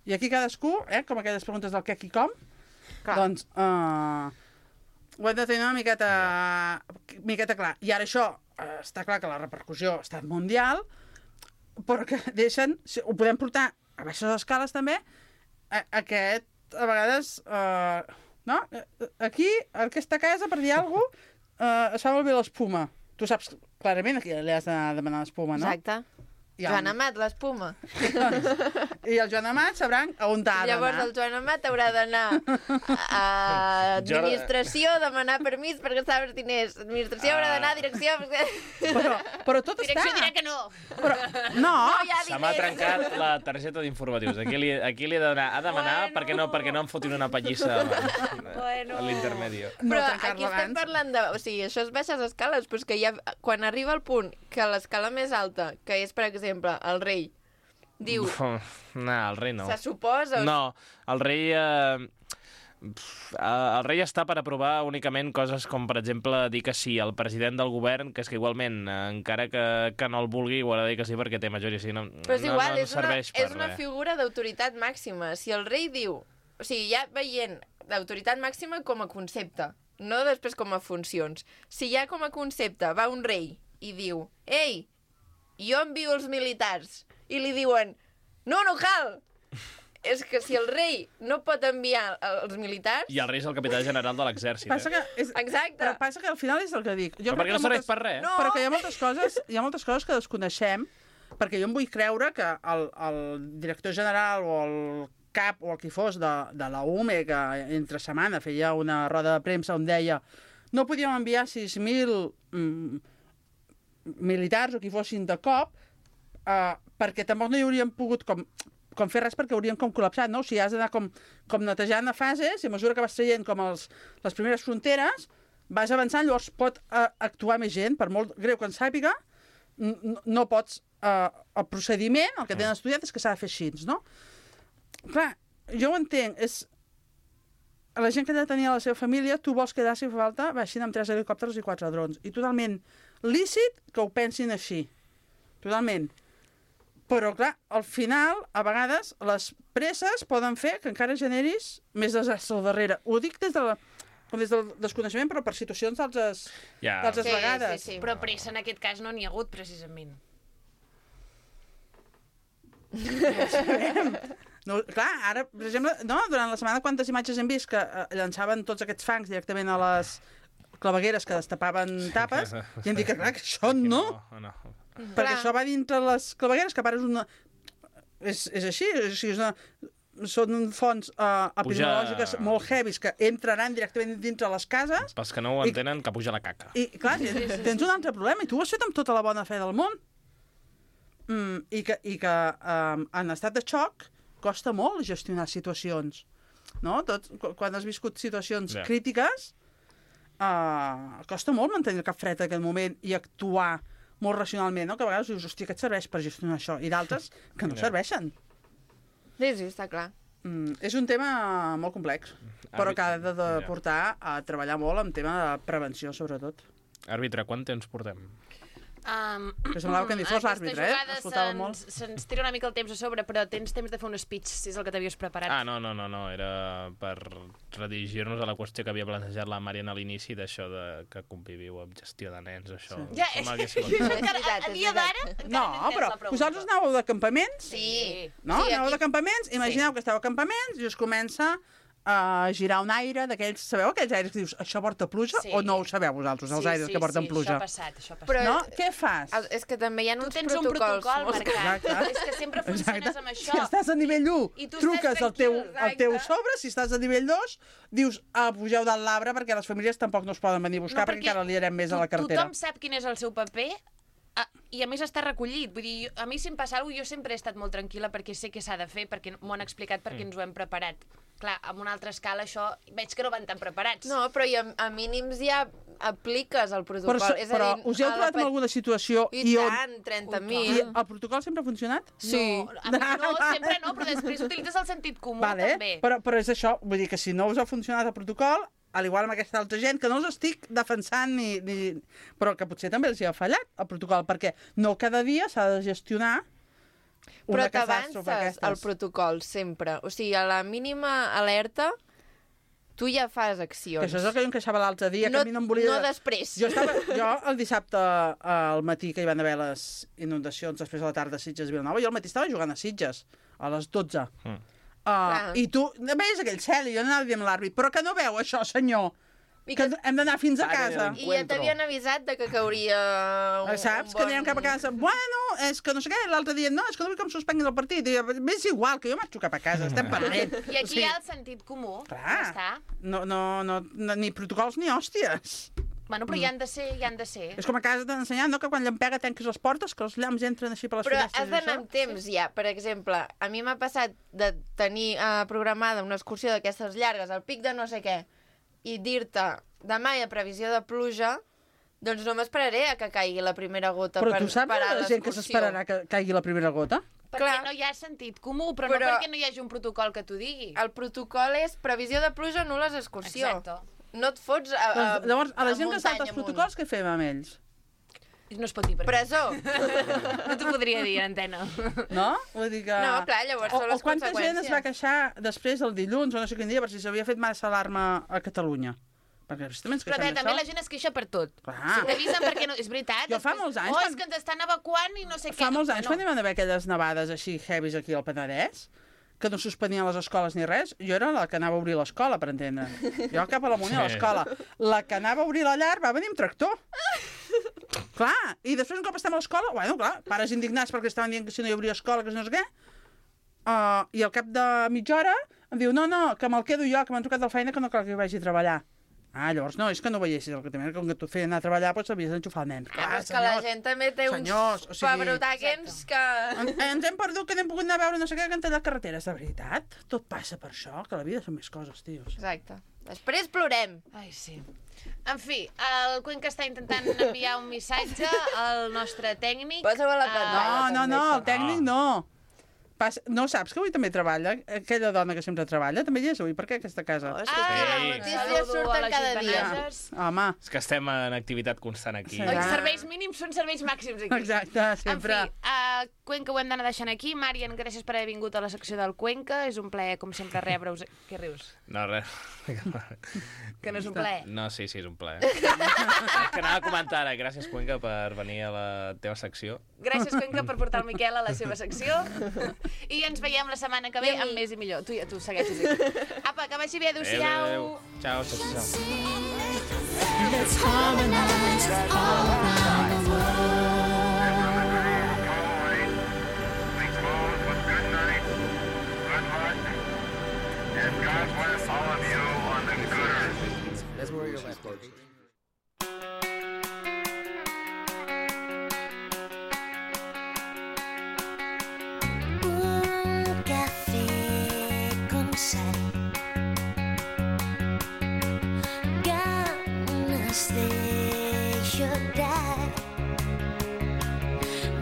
I aquí cadascú, com aquelles preguntes del què, qui, com, doncs ho hem de tenir una miqueta clar. I ara això, està clar que la repercussió ha estat mundial, però que deixen, ho podem portar a baixes escales també, a vegades, no? Aquí, en aquesta casa, per dir alguna cosa, es fa molt bé l'espuma. Tu saps clarament a qui li has de demanar l'espuma, no? Exacte. Joan Amat, l'espuma. I el Joan Amat sabran on ha d'anar. Llavors el Joan Amat haurà d'anar a administració, demanar permís perquè està els diners. Administració haurà d'anar a direcció... Però tot Direcció està... dirà que no. No. Se m'ha trencat la targeta d'informatius. Aquí li he d'anar a demanar perquè no em fotin una pallissa a l'intermedi. Però aquí estem parlant de... O sigui, això és baixes escales, però és que quan arriba el punt que l'escala més alta, que és, per exemple, el rei, diu... No, el rei no. Se suposa... No, el rei... El rei està per aprovar únicament coses com, per exemple, dir que sí al president del govern, que és que igualment, encara que no el vulgui, ho ha de dir que sí perquè té majoria. O sigui, però és igual, és una figura d'autoritat màxima. Si el rei diu... O sigui, ja veient d'autoritat màxima com a concepte, no després com a funcions. Si ja com a concepte va un rei i diu «Ei, jo envio els militars», i li diuen «No, no cal!» És que si el rei no pot enviar els militars... I el rei és el capità general de l'exèrcit. Exacte. Però passa que al final és el que dic. Però perquè no serveix per res. No. Però que hi ha moltes coses que desconeixem, perquè jo em vull creure que el director general o el cap o el qui fos de la UME, que entre setmana feia una roda de premsa on deia no podíem enviar 6.000 militars o qui fossin de cop, perquè tampoc no hi hauríem pogut com fer res perquè hauríem com col·lapsat, no? O sigui, has d'anar com netejant a fases i a mesura que vas traient com les primeres fronteres vas avançant, llavors pot actuar més gent, per molt greu que en sàpiga, no pots... el procediment, el que tenen estudiat és que s'ha de fer així, no? Clar, jo ho entenc, és... La gent que ja tenia la seva família, tu vols quedar, si fa falta, baixin amb 3 helicòpters i 4 drons. I totalment lícit que ho pensin així. Totalment. Però, clar, al final, a vegades, les presses poden fer que encara generis més desastre al darrere. Ho dic des del desconeixement, però per situacions d'altres vegades. Sí. Però pressa en aquest cas no n'hi ha hagut, precisament. No, clar, ara, per exemple, no, durant la setmana quantes imatges hem vist que llançaven tots aquests fangs directament a les clavegueres que destapaven tapes i hem dit que, clar, que això no. Perquè això va dintre les clavegueres, que a part és una... És així, és una... són fonts epidemiològiques molt heavies que entraran directament dintre les cases. Pels que no ho entenen, que puja la caca. I, clar, tens un altre problema, i tu ho has fet amb tota la bona fe del món. I que en estat de xoc costa molt gestionar situacions. No? Quan has viscut situacions crítiques, costa molt mantenir el cap fred en aquell moment i actuar molt racionalment, no? Que a vegades dius, hòstia, què et serveix per gestionar això? I d'altres que no serveixen. Sí, està clar. És un tema molt complex, però que ha de portar a treballar molt en tema de prevenció, sobretot. Àrbitre, quant temps portem? Que semblava que ni fos l'àrbitre, Escoltava molt. Se'ns tira una mica el temps a sobre, però tens temps de fer un speech, si és el que t'havies preparat. No, era per redirigir-nos a la qüestió que havia plantejat la Màrian a l'inici d'això de que conviviu amb gestió de nens, això. Sí. Ja, a dia d'ara... No, però vosaltres anàveu de campaments? Sí. No? Anàveu de campaments? Imagineu que esteu a campaments i us comença a girar un aire d'aquells... Sabeu aquells aires que dius, això porta pluja? O no ho sabeu vosaltres, els aires que porten pluja? Sí, això ha passat. Però, no? Què fas? És que també hi ha uns protocols. Tu tens un protocol marcat. És que sempre funciones amb això. Si estàs a nivell 1, truques al teu sobre. Si estàs a nivell 2, dius, pugeu dalt l'arbre perquè les famílies tampoc no es poden venir a buscar perquè encara liarem més a la carretera. Tothom sap quin és el seu paper i a més està recollit. Vull dir, a mi si em passa alguna cosa, jo sempre he estat molt tranquil·la perquè sé què s'ha de fer, perquè m'ho han explicat, perquè ens ho hem preparat. Clar, amb una altra escala això veig que no van tan preparats. No, però a mínims ja apliques el protocol. Però us heu trobat en alguna situació i tant, 30.000. I el protocol sempre ha funcionat? Sí. No, sempre no, però després utilitzes el sentit comú també. Però és això, vull dir que si no us ha funcionat el protocol, al igual amb aquesta altra gent, que no us estic defensant però que potser també els hi ha fallat el protocol, perquè no cada dia s'ha de gestionar una catàstrofe d'aquestes. Però t'avances al protocol sempre. O sigui, a la mínima alerta tu ja fas accions. Que això és el que jo em queixava l'altre dia, que a mi no em volia... No després. Jo el dissabte al matí, que hi van haver les inundacions, després a la tarda a Sitges i Vilanova, jo al matí estava jugant a Sitges, a les 12. I tu veies aquell cel i jo anava dient a l'àrbit, però que no veu això, senyor, que hem d'anar fins a casa. I ja t'havien avisat de que cauria saps? Que anirem cap a casa. Bueno, és que no sé què, l'altre dia, no, és que no vull que em suspenguin el partit. És igual, que jo marxo cap a casa, estem perdent. I aquí hi ha el sentit comú. Clar, ni protocols ni hòsties. Bueno, però hi han de ser. És com a casa t'han ensenyat, no?, que quan llampega tanques les portes, que els llamps entren així per les finestres. Però has d'anar amb temps, ja. Per exemple, a mi m'ha passat de tenir programada una excursió d'aquestes llargues, al pic de no sé què, i dir-te, demà hi ha previsió de pluja, doncs no m'esperaré a que caigui la primera gota per parar l'excursió. Però tu saps la gent que s'esperarà que caigui la primera gota? Perquè no hi ha sentit comú, però no perquè no hi hagi un protocol que t'ho digui. El protocol és previsió de pluja, nul·les excursió. Exacte. No et fots a llavors, a la gent que salta els protocols, què fem amb ells? No es pot dir per presó. No t'ho podria dir, antena. No? Vull dir que... No, clar, llavors són les conseqüències. O quanta gent es va queixar després el dilluns, o no sé quin dia, per si s'havia fet massa alarma a Catalunya. Perquè però també la gent es queixa per tot. Si t'avisen perquè no... És veritat. Jo fa molts anys... és que ens estan evacuant i no sé què. Fa molts anys, quan hi van haver aquelles nevades així heavies aquí al Penedès, que no suspenien les escoles ni res, jo era la que anava a obrir l'escola, per entendre. Jo cap a la Munt a l'escola. La que anava a obrir la llar va venir amb tractor. Clar, i després un cop estem a l'escola, bueno, clar, pares indignats perquè estaven dient que si no hi hauria escola, que no sé què, i al cap de mitja hora em diu, no, que me'l quedo jo, que m'han trucat de la feina, que no cal que hi vagi a treballar. Llavors no, és que no veiessis el que també, com que tu feien anar a treballar, doncs havies d'enxufar el nen. Clar, és que la gent també té uns pebrotàquens que... Ens hem perdut, que n'hem pogut anar a veure no sé què, que han tallat carreteres, de veritat. Tot passa per això, que la vida són més coses, tios. Exacte. Després plorem. Ai, sí. En fi, el Cuenca està intentant enviar un missatge al nostre tècnic. Posa-ho a la pantalla. No, el tècnic no. No saps que avui també treballa? Aquella dona que sempre treballa, també hi és avui. Per què aquesta casa? Les notícies surten cada dia. Home. És que estem en activitat constant aquí. Els serveis mínims són serveis màxims aquí. Exacte, sempre. En fi, Cuenca ho hem d'anar deixant aquí. Màrian, gràcies per haver vingut a la secció del Cuenca. És un plaer, com sempre, rebre-us... Què rius? No, res. Que no és un plaer? No, sí, és un plaer. Que anava a comentar ara. Gràcies, Cuenca, per venir a la teva secció. Gràcies, Cuenca, per portar el Miquel a la seva secció. I ens veiem la setmana que ve amb més i millor. Tu segueixes aquí. Apa, que vagi bé, adéu-siau. Ciao. Let's harmonize all around the world. Good night. Good heart. God bless all of you on the good earth. That's where your last words. Un café con sal, ganas de llorar.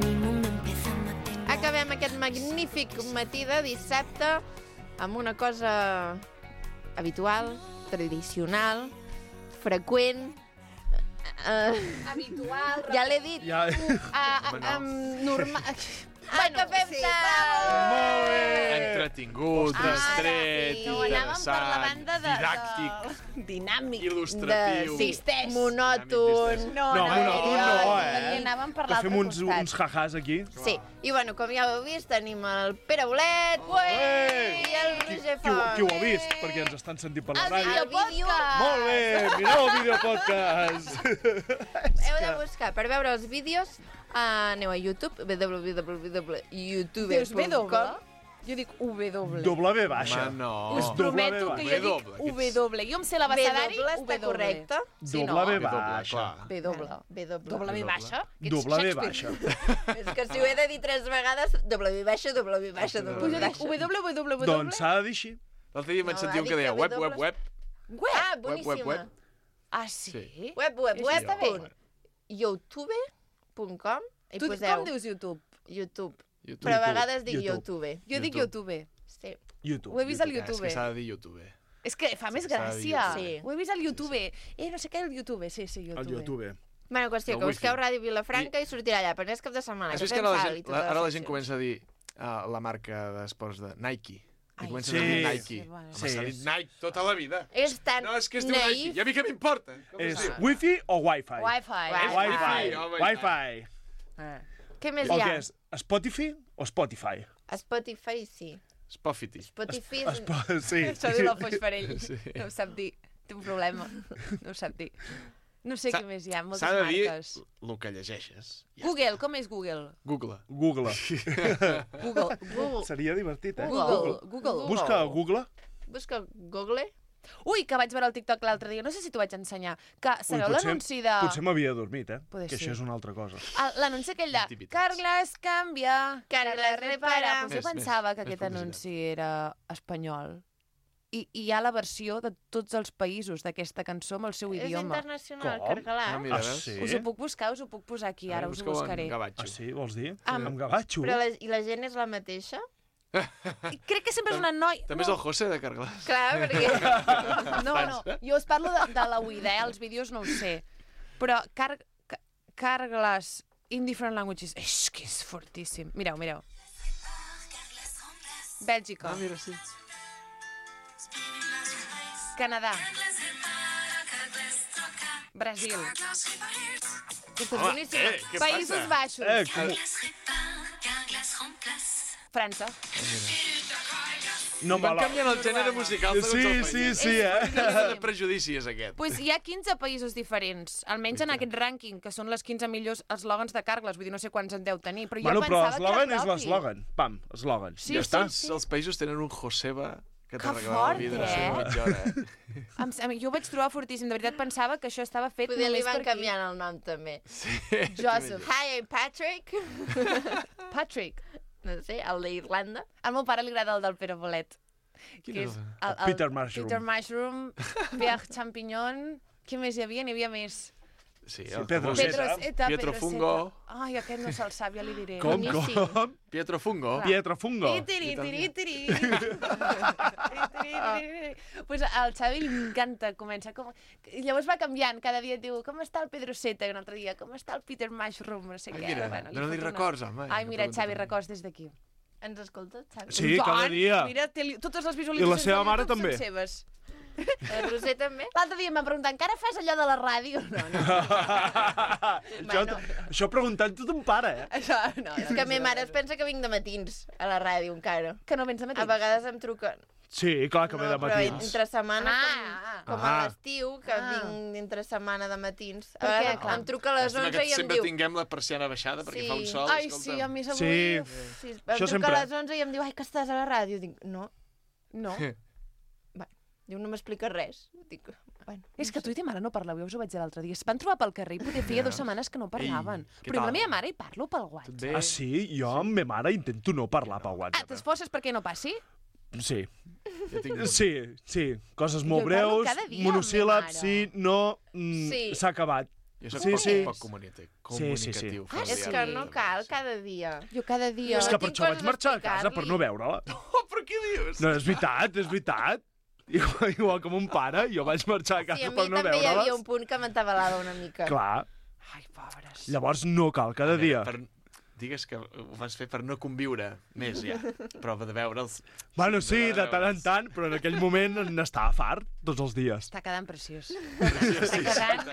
Mi mundo empieza a matar. Acabem aquest magnífic matí de dissabte amb una cosa habitual, tradicional, freqüent. Habitual. Ja l'he dit. Ja... Normal. Bueno, Acabem sí, Molt bé! Entretingut, distret, sí. No, anàvem per la interessant, banda didàctic, dinàmic. il·lustratiu. Existeix. Monòton. No, monòton no, Perquè anàvem per Que fem l'altre costat. uns jajàs aquí. Sí, i bueno, com ja heu vist, tenim el Pere Bolet i el Roger Font. Qui ho ha vist? Perquè ens estan sentint per la El ràdio. videopodcast. Molt bé, mireu el videopodcast. Heu de buscar, per veure els vídeos, aneu a YouTube, www.youtube.com. Jo dic W. W baixa. Home, no. Us prometo que jo dic W. Jo em sé l'abecedari W està correcte. Sí, no? W W, baixa. W. W baixa. Que ets W Shakespeare. baixa. És que si ho he de dir 3 vegades, W baixa, W baixa, W Pues jo dic baixa. W. Doncs s'ha de dir així. L'altre dia vaig No, sentir ha un dit que deia que web, W. web, web. Ah, Web, web, boníssima. web. Ah, sí? Web, web, Això web, està bé. punt. youtube.com i Tu poseu com dius YouTube? YouTube. YouTube. Però a vegades dic YouTube. YouTube. Jo dic YouTube. Sí. YouTube. Ho he vist al És YouTube. que s'ha de dir YouTube. És que fa més s'ha de dir gràcia. YouTube. Sí. Ho he vist al YouTube. No sé què, el YouTube. Sí, YouTube. Al YouTube. Bueno, qüestió, El que busqueu wifi. Ràdio Vilafranca i sortirà allà, però és cap de setmana. Has que vist que fem ara la salt i gent, totes les ara la gent seccions. comença a dir la marca d'esports de Nike. I Ai, comença sí. a dir Nike. Sí, bueno. Home, s'ha dit Nike tota la vida. És tan No, és que es diu Nike. naïf. I a mi què m'importa? Com És es diu? wifi o wifi? Wi-Fi. Wifi. home, Wifi. Què més O hi ha? què és? Spotify o Spotify? Spotify, sí. Spotify. Spotify... Sí. Això diu la Foix Farell. Sí. No ho sap dir. Té un problema. No ho sap dir. No sé què més hi ha, moltes S'ha de dir marques. el que llegeixes. Ja. Google, com és Google? Google. Google. Google. Seria divertit, eh? Google. Busca a Google. Busca Google. Ui, que vaig veure el TikTok l'altre dia, no sé si t'ho vaig ensenyar, que sabeu l'anunci de... Potser m'havia dormit, eh? Poder Que ser. això és una altra cosa. L'anunci aquell de Activitats. Carglass canvia, Carglass repara. Pues jo Més, pensava que més aquest publicitat. anunci era espanyol. I hi ha la versió de tots els països d'aquesta cançó amb el seu És idioma. internacional, Com? Cargalà. mira, Ah, veus? sí? Us ho puc buscar, us ho puc posar aquí, ara us ho Busca-ho en buscaré. gavatxo. Ah, sí? Vols dir? Amb- Amb gavatxo? Però i la gent és la mateixa? I crec que sempre és una noia... També és el José de Carglass. Clar, perquè... No, jo us parlo de la Uida, els vídeos no ho sé. Però Carglass in different languages, és que és fortíssim. Mireu. Bèlgica, Ah, mira, sí. Canadà, Brasil, Aquesta és boníssima. què Països Baixos, França. No Van me la... canviant el gènere musical segons el país. Sí, De prejudici és aquest. Pues hi ha 15 països diferents, almenys en aquest rànquing, que són les 15 millors eslògans de Carglass, vull dir, no sé quants en deu tenir, però Bueno, jo però pensava que l'eslògan era és propi. l'eslògan. Pam, eslògan. Sí, Ja està. Els països tenen un Joseba que Que t'arreglava fort, el vidre eh? a mitja hora. Jo ho vaig trobar fortíssim, de veritat pensava que això estava fet Poder li només van per aquí. canviant el nom, també. Sí. Joseph. Hi, I'm Patrick. Patrick. No sé, el d'Irlanda. Al meu pare li agrada el del Pere Bolet. Quin Que és és el- Peter Mushroom. Peter Mushroom, Pierre Champignon... Què més hi havia? N'hi havia més. Sí, Sí, el Pedro famós. Seta. Pietro Fungo. Ai, aquest no se'l sap, ja li diré. Com? Boníssim. Pietro Fungo. Pietro Fungo. Tiri, tiri, tiri, tiri. Pues al Xavi li encanta, comença com... I llavors va canviant, cada dia et diu com està el Pedro Seta, i un altre dia com està el Peter Mushroom, no sé Ai, què. mira, li dona-li fot una- records, home. Ai, mira, Que Xavi, pregunta records des d'aquí. Ens escoltes, Xavi? Sí, cada dia. Mira, totes les I visualitzacions la seva de mare YouTube també. són seves. El Roser també? L'altre dia em van preguntar, encara fas allò de la ràdio? No, no. Això preguntant-ho ton pare, eh? Això, no, És que ma mare es pensa que vinc de matins a la ràdio encara. Que no vens de matí? A vegades em truquen. Sí, clar que ve de però matins. entre setmana, com a Ah. l'estiu, que vinc entre setmana de matins. Per A què? vegades Clar. em truca a les Llàstima 11 que i em sempre diu... tinguem la persiana baixada perquè Sí. fa un sol, Ai, escolta'm. sí, a més avui... Sí. Sí, em Això truca sempre. a les 11 i em diu, ai, que estàs a la ràdio. Dic, no. No. Diu, no m'explica res. Dic, bueno, És que tu i ta mare no parleu, ja us ho vaig dir l'altre dia. Es van trobar pel carrer i poder feia 2 setmanes que no parlaven. Ei, què Però amb la tal? meva mare hi parlo pel WhatsApp. Bé. Ah, sí? Jo amb ma mare intento no parlar pel Ah, WhatsApp. t'esforces perquè no passi? Sí. Jo tinc... Sí. Coses molt Jo parlo breus, cada dia amb ma monosíl·labs, mare. sí, no... Sí. S'ha acabat. Jo soc Sí. poc comunicatiu. Sí. és que no cal cada dia. Jo cada dia... És que per tinc això vaig coses a marxar a casa, per no explicar-li. veure-la. Oh, però què dius? No, és veritat. Igual que mon pare, jo vaig marxar a casa Sí, a mi per no també hi havia veure-les. un punt que m'entabalava una mica. Clar, Ai, pobres. llavors no cal cada dia. Digues que ho vas fer per no conviure més, ja. Però de veure'ls... Bueno, sí, de tant en tant, però en aquell moment n'estava fart tots els dies. Està quedant preciós. Està quedant...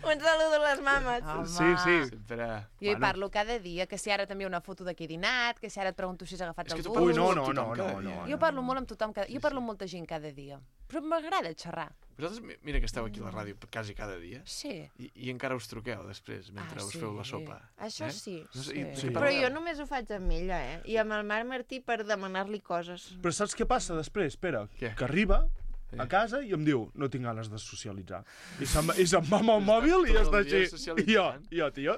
Un saludo a les mames. Home. Sí. Sempre... Jo hi parlo cada dia, que si ara també una foto de qui he dinat, que si ara et pregunto si has agafat És que el tu bus... Ui, no. Jo parlo molt amb tothom, jo parlo amb molta gent cada dia. Però m'agrada xerrar. Vosaltres, mira que esteu aquí a la ràdio quasi cada dia, Sí. i encara us truqueu després, mentre us feu la sopa. Això sí. No sé, Sí. de què Però parleu? jo només ho faig amb ella, I amb el Marc Martí per demanar-li coses. Però saps què passa després? Espera, Què? que arriba a casa i em diu, no tinc ganes de socialitzar. I se'n va amb el mòbil i tot està el dia així. socialitzant. I jo, tio,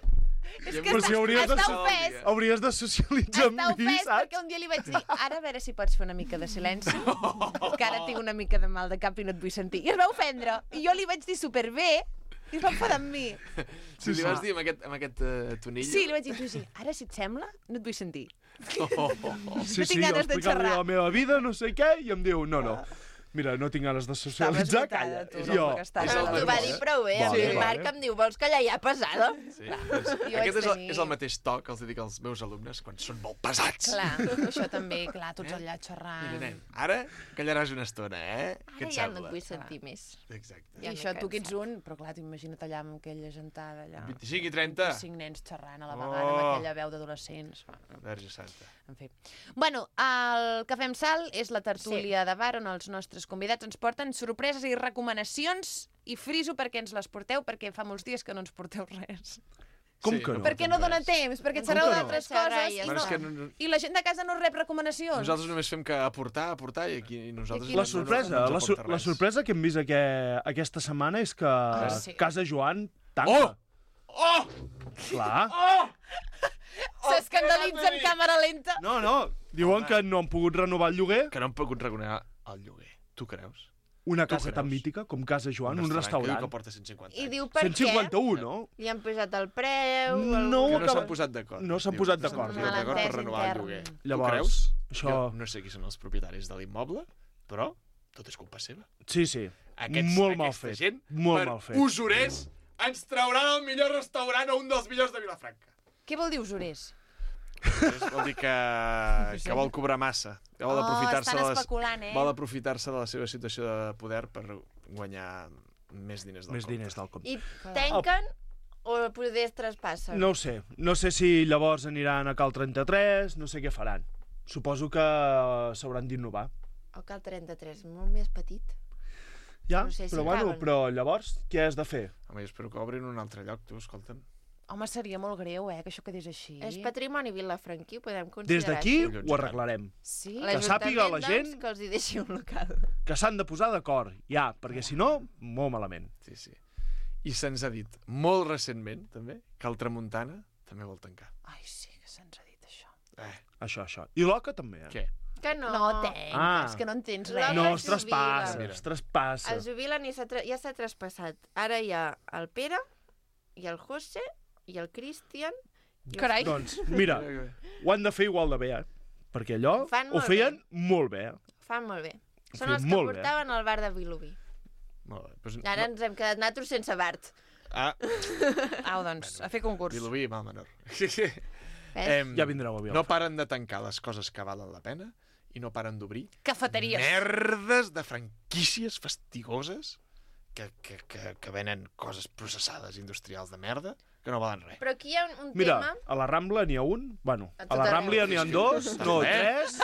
És Ja que però si hauries de, està ofès. hauries de socialitzar Està amb mi, ofès saps? perquè un dia li vaig dir ara a veure si pots fer una mica de silenci, que ara tinc una mica de mal de cap i no et vull sentir. I es va ofendre. I jo li vaig dir superbé i es va enfadar amb mi. Sí, li vas dir amb aquest tonillo? Sí, li vaig dir, sí, ara si et sembla, no et vull sentir. Sí, No tinc jo ganes de explicant-li xerrar. la meva vida, no sé què, i em diu, no. Mira, no tinc ganes de socialitzar, calla. tu, I jo, no, que estaves És el T'ho va dir prou bé. A mi el Vale. Marc em diu, vols callar ja pesada? Sí. Jo Aquest vaig tenir- és el mateix to que els dic als meus alumnes quan són molt pesats. Clar, això també, clar, tots allà xerrant. Mira, nen, ara callaràs una estona, Què Ara et ja no sembla? et vull sentir més. Exacte. I això tu que ets un, però clar, t'imagina't allà amb aquella gentada allà. 25 i 30. 5 nens xerrant a la vegada amb aquella veu d'adolescents. Verge santa. En fi. Bueno, el Cafè amb Sal és la tertúlia de bar on els nostres convidats ens porten sorpreses i recomanacions i friso perquè ens les porteu, perquè fa molts dies que no ens porteu res. Com que no? Perquè no dona temps, perquè xerreu que no? d'altres Xerrar coses i ja i, Bueno, és no. que no- I la gent de casa no rep recomanacions. Nosaltres només fem que aportar, i aquí nosaltres... I aquí La sorpresa, no ens la aporta res. sorpresa que hem vist aquesta setmana és que sí. Casa Joan tanca. Oh! Clar. S'escandalitza en càmera lenta. No. Diuen que no han pogut renovar el lloguer. Que no han pogut reconegar el lloguer. Tu creus? Una Tu casa tan creus? mítica com Casa Joan, un Que diu restaurant. que porta 150 I anys. diu per què? 151, no? Li han posat el preu... No, Que no que- s'han posat d'acord. no s'han Diu, posat no s'han d'acord. posat d'acord per Malentès renovar el intern. lloguer. Llavors, tu creus? això- Jo no sé qui són els propietaris de l'immoble, però tot és culpa seva. Sí. Molt mal fet. Gent, Molt per mal fet. usurers, ens trauran el millor restaurant o un dels millors de Vilafranca. Què vol dir usurers? Vol dir que vol cobrar massa. Que vol aprofitar-se estan especulant, vol aprofitar-se de la seva situació de poder per guanyar més diners del Més compte. diners del compte. I tanquen o poder traspassen? No ho sé. No sé si llavors aniran a Cal 33, no sé què faran. Suposo que s'hauran d'innovar. O Cal 33, molt més petit. Ja, No sé si però bueno, caben. però llavors què has de fer? Home, jo espero que obrin un altre lloc, tu, escolta'm. Home, seria molt greu, que això quedés així. És patrimoni vilafranquí, ho podem Des considerar d'aquí així. ho arreglarem. Sí? Que sàpiga la gent- Doncs, que els hi deixi un local. Que s'han de posar d'acord, ja, perquè si no, molt malament. Sí. I se'ns ha dit molt recentment, també, que el Tramuntana també vol tancar. Ai, sí, que se'ns ha dit això. Això. I l'Oca també, eh? Què? Que no. No tenc, és que no entens res. No, L'Oca es traspassa, jubila. es traspassa. Es jubilen i ja s'ha traspassat. Ara hi ha el Pere, i el José, i el Cristian... i Carai. Doncs, mira, ho han de fer igual de bé, eh? Perquè allò Fan ho molt feien molt bé. Fan molt bé. Ho Són feien els que molt bé. portaven al bar de Vilobí. Molt bé. Doncs, Ara ens hem quedat natros sense Bart. Au, doncs, a fer concurs. Vilobí, mal menor. Ja vindreu a Vilafranca. No paren de tancar les coses que valen la pena i no paren d'obrir Cafeteries. merdes de franquícies fastigoses que venen coses processades industrials de merda que no valen res. Però aquí hi ha un Mira, tema... a la Rambla n'hi ha un, bueno, A a tot la arreu. Rambla n'hi ha dos, no, tres,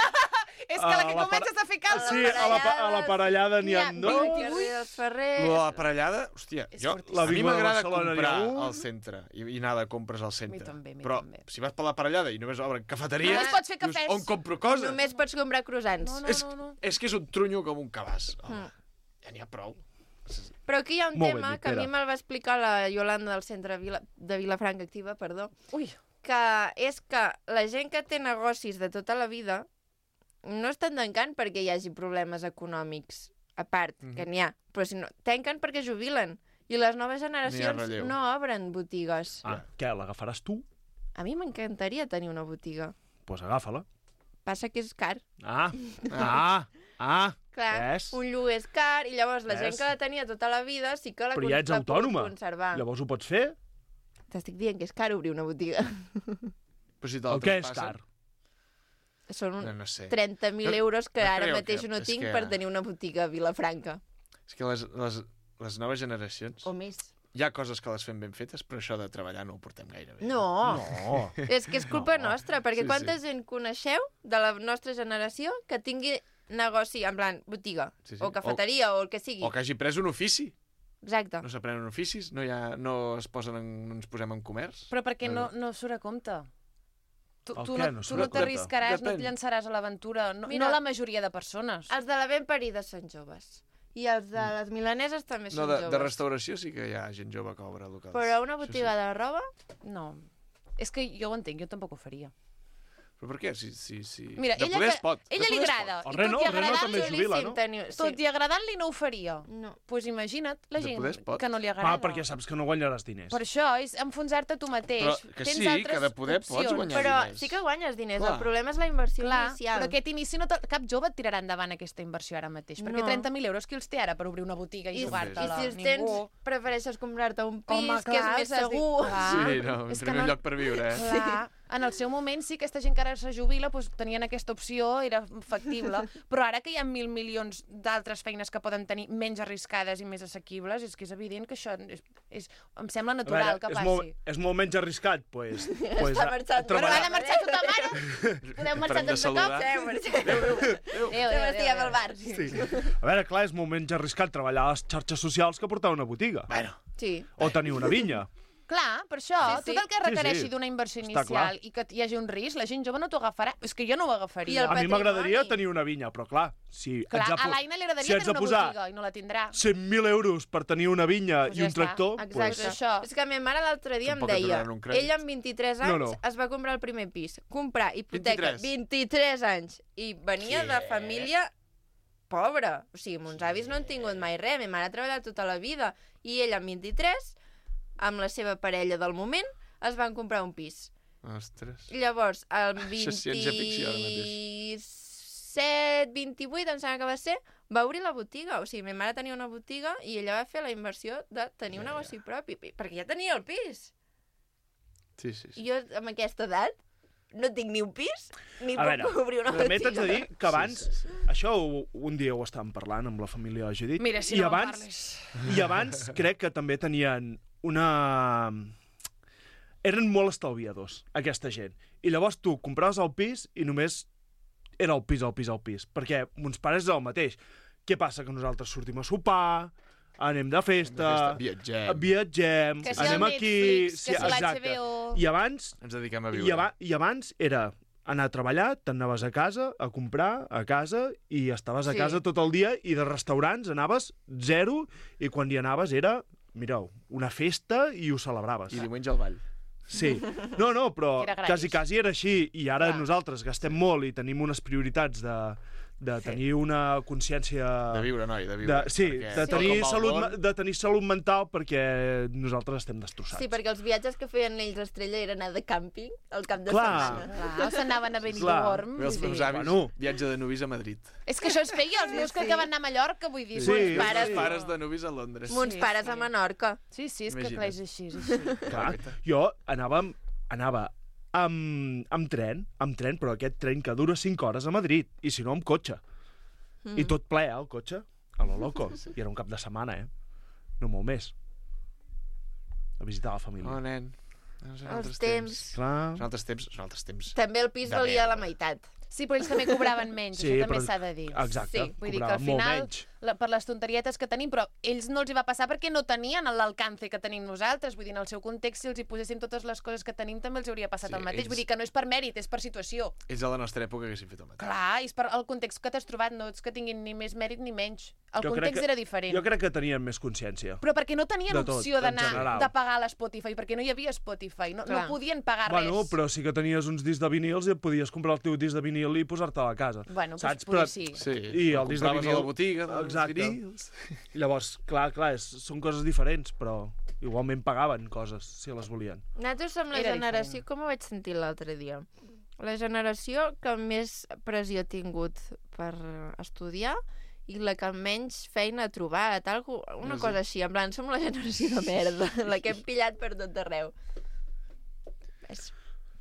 És que la que comences a fer calços... Sí, a la parellada n'hi ha dos. Els Ferrers... Lo de la parellada, hòstia, a mi m'agrada comprar al centre i anar de compres al centre. també, Però si vas per la parellada i només obren cafeteria, Només pots fer cafès. on compro coses? Només pots comprar croissants. És que és un trunyo com un cabàs. Ja n'hi ha prou. Però aquí hi ha un Molt ben tema dit, que a mi Pere. me'l va explicar la Iolanda del centre de Vilafranca Activa, perdó, Ui, que és que la gent que té negocis de tota la vida no estan tancant perquè hi hagi problemes econòmics, a part, que n'hi ha, però si no, tanquen perquè jubilen. I les noves generacions relleu. no obren botigues. Ah, què, l'agafaràs tu? A mi m'encantaria tenir una botiga. Doncs pues agafa-la. Passa que és car. Clar, ves? un lloguer és car i llavors la Ves? gent que la tenia tota la vida sí que la Però ja ets l'ha pogut autònoma. conservar. Llavors ho pots fer? T'estic dient que és car obrir una botiga. Però si El que és car? Són No sé. 30.000 euros que no ara creu mateix que- no és tinc que- per tenir una botiga a Vilafranca. És que les noves generacions... O més. Hi ha coses que les fem ben fetes, però això de treballar no ho portem gaire bé. No. No. És que és culpa nostra, perquè Sí, quanta gent coneixeu de la nostra generació que tingui negoci, en plan, botiga, Sí, sí. o cafeteria, o el que sigui. O que hagi pres un ofici. Exacte. No s'aprenen oficis, no ens posem en comerç. però perquè no surt a compte. Tu El no què no tu surt no a compte? t'arriscaràs, no et Depèn. llançaràs a l'aventura. No Mira, la majoria de persones. Els de la ben parida són joves. I els de les milaneses també No, són de joves. restauració sí que hi ha gent jove que obre locals. Però una Això botiga de roba... No. És que jo ho entenc, jo tampoc ho faria. Però per què? Mira, de poder es pot. ella li agrada. El I Reno- tot i el Reno agradant-li, també es jubila, no? tot i agradant-li no ho faria. No. Pues imagina't la De gent poder es pot. que no li agrada. perquè saps que no guanyaràs diners. Per això és enfonsar-te tu mateix. Però que Tens sí, altres que de poder pots opcions. guanyar Però diners. sí que guanyes diners. Clar. El problema és la inversió Clar, inicial. però aquest inici cap jove et tirarà endavant aquesta inversió ara mateix. Perquè No. 30.000 euros qui els té ara per obrir una botiga i I jugar-te-la? si els Ningú. tens, prefereixes comprar-te un pis, Home, que és clar, més saps dir- segur. Clar. Sí, no, És que primer lloc per viure, eh? Clar, en el seu moment sí, aquesta gent que ara se jubila doncs, tenien aquesta opció, era factible, però ara que hi ha 1.000 milions d'altres feines que poden tenir menys arriscades i més assequibles, és que és evident que això em sembla natural que passi. És molt menys arriscat, doncs... Està marxant. Però ha de marxar tota mare? Podeu marxar Parem de tots de cop? saludar. Adéu, Estiguem al bar. Sí. A veure, clar, és molt menys arriscat treballar a les xarxes socials que portar una botiga. Bueno, Sí. O tenir una vinya. Clar, per això, Sí, sí. tot el que requereixi sí. d'una inversió Està clar. inicial i que hi hagi un risc, la gent jove no t'ho agafarà. És que jo no ho I agafaria. el A mi patrimoni. m'agradaria tenir una vinya, però clar, si Clar, ets a l'Aina li agradaria si haig tenir de una posar botiga i no la tindrà. 100.000 euros per tenir una vinya Pues i ja un està. tractor... Exacte. Pues, això. És que ma mare l'altre dia Tampoc em et deia, donaran un crèdit. ella amb 23 anys No, no. es va comprar el primer pis, comprar hipoteca, 23. 23 anys, i venia de família pobra. O sigui, mons avis no han tingut mai res, ma mare ha treballat tota la vida, i ella amb 23, amb la seva parella del moment, es van comprar un pis. ostres. Llavors, el Això és ciència-ficció, ara mateix. 27, 28, em sembla que va ser, va obrir la botiga. O sigui, ma mare tenia una botiga i ella va fer la inversió de tenir un negoci propi, perquè ja tenia el pis. Sí. I jo, amb aquesta edat, no tinc ni un pis, ni A veure, puc obrir una també botiga. t'haig de dir que abans... Sí. Això un dia ho estàvem parlant amb la família de Judit. Mira, si i no abans, parles. I abans crec que també tenien una... Eren molt estalviadors, aquesta gent. I llavors tu compraves el pis i només era el pis, el pis, el pis. Perquè mons pares és el mateix. Què passa? Que nosaltres sortim a sopar, anem de festa, viatgem, Que si anem el aquí... Netflix, que si exacte. l'HBO... I abans Ens dediquem a viure. I abans era anar a treballar, t'anaves a casa, a comprar, a casa, i estaves a Sí. casa tot el dia, i de restaurants anaves zero, i quan hi anaves era, mireu, una festa i ho celebraves. I diumenge al ball. Sí. No, però Era gratis. quasi era així, i ara Clar. nosaltres gastem molt i tenim unes prioritats de tenir una consciència... De viure, noi, de viure. Sí, perquè de tal tenir, com va el salut, món, de tenir salut mental perquè nosaltres estem destrossats. Sí, perquè els viatges que feien ells a Estrella era anar de càmping al cap de Clar. setmana. Clar, s'anaven a Benidorm. Bé, els vull meus dir. avis, Bueno. viatge de nuvis a Madrid. És que això es feia, els meus que van anar a Mallorca, vull dir. Sí, mons sí. pares... Els pares de nuvis a Londres. Mons Sí, pares sí. a Menorca. Sí, és que Imagina't. clar, és així, és així. Clar, jo anava amb tren, però aquest tren que dura 5 hores a Madrid, i si no amb cotxe. I tot ple, el cotxe, a lo loco. I era un cap de setmana, No molt més. A visitar la família. Oh, nen. Són Els altres temps. Clar. Són altres temps. També el pis De valia merda. la meitat. Sí, però ells també cobraven menys, Sí, això també però- s'ha de dir. Exacte, Sí, vull dir que al cobraven molt final, menys. per les tonterietes que tenim, però ells no els hi va passar perquè no tenien l'alcance que tenim nosaltres. Vull dir, en el seu context, si els hi poséssim totes les coses que tenim, també els hauria passat Sí, el mateix. ells- Vull dir que no és per mèrit, és per situació. Ells a la nostra època haguessin fet el mateix. Clar, és per el context que t'has trobat, no és que tinguin ni més mèrit ni menys. El Jo crec context que- era diferent. Jo crec que tenien més consciència. Però perquè no tenien De tot, opció en d'anar general. de pagar a l'Spotify, perquè no hi havia Spotify, no Clar. podien pagar Bueno, res. però sí que tenies uns discs de vinils i et podies comprar el teu disc de vinil i posar-te a la casa. Bueno, doncs saps? potser sí. Sí, I el disc de compraves vinil... a la botiga dels Exacte. vinils. I llavors, clar, són coses diferents, però igualment pagaven coses, si les volien. Nosaltres som la Era generació, diferent. com ho vaig sentir l'altre dia, la generació que més pressió ha tingut per estudiar i la que menys feina ha trobat, una Sí. cosa així, en plan, som la generació de merda, la que hem pillat per tot arreu. És...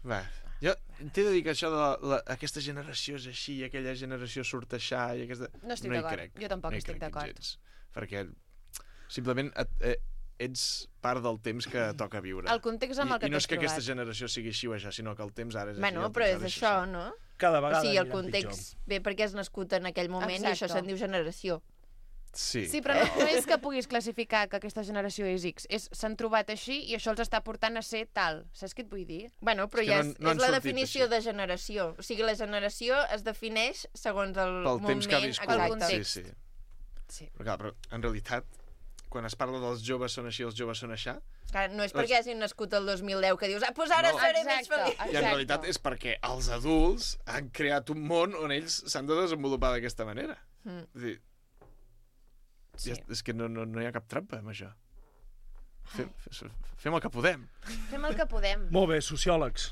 Va, jo t'he de dir que això de aquesta generació és així i aquella generació surt aixà i aquesta... No estic hi d'acord. crec. Jo tampoc hi estic crec d'acord. gens, perquè simplement ets part del temps que toca viure. El context amb el que I no t'has és que aquesta trobat. generació sigui així o això, sinó que el temps ara és Bueno, així. el però temps és ara això, així. no? Cada O vegada sigui, el anirem context ve perquè has nascut en aquell moment i això Exacte. se'n diu generació. Sí. Sí, però no és que puguis classificar que aquesta generació és X. S'han trobat així i això els està portant a ser tal. Saps què et vull dir? Bueno, però És que ja no- és, no han és la sortit definició així. de generació. O sigui, la generació es defineix segons el Pel moment... temps que ha viscut. el Exacte. context. Sí, sí. Sí. Però, clar, però en realitat, quan es parla dels joves són així, els joves són aixà, Clar, no és perquè hagin nascut el 2010 que dius, doncs ara No. seré més Exacte. feliç. i en realitat és perquè els adults han creat un món on ells s'han de desenvolupar d'aquesta manera. Mm. És dir, Sí. és que no hi ha cap trampa amb això. Fem el que podem. Fem el que podem. Molt bé, sociòlegs.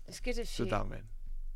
És que és així. Totalment.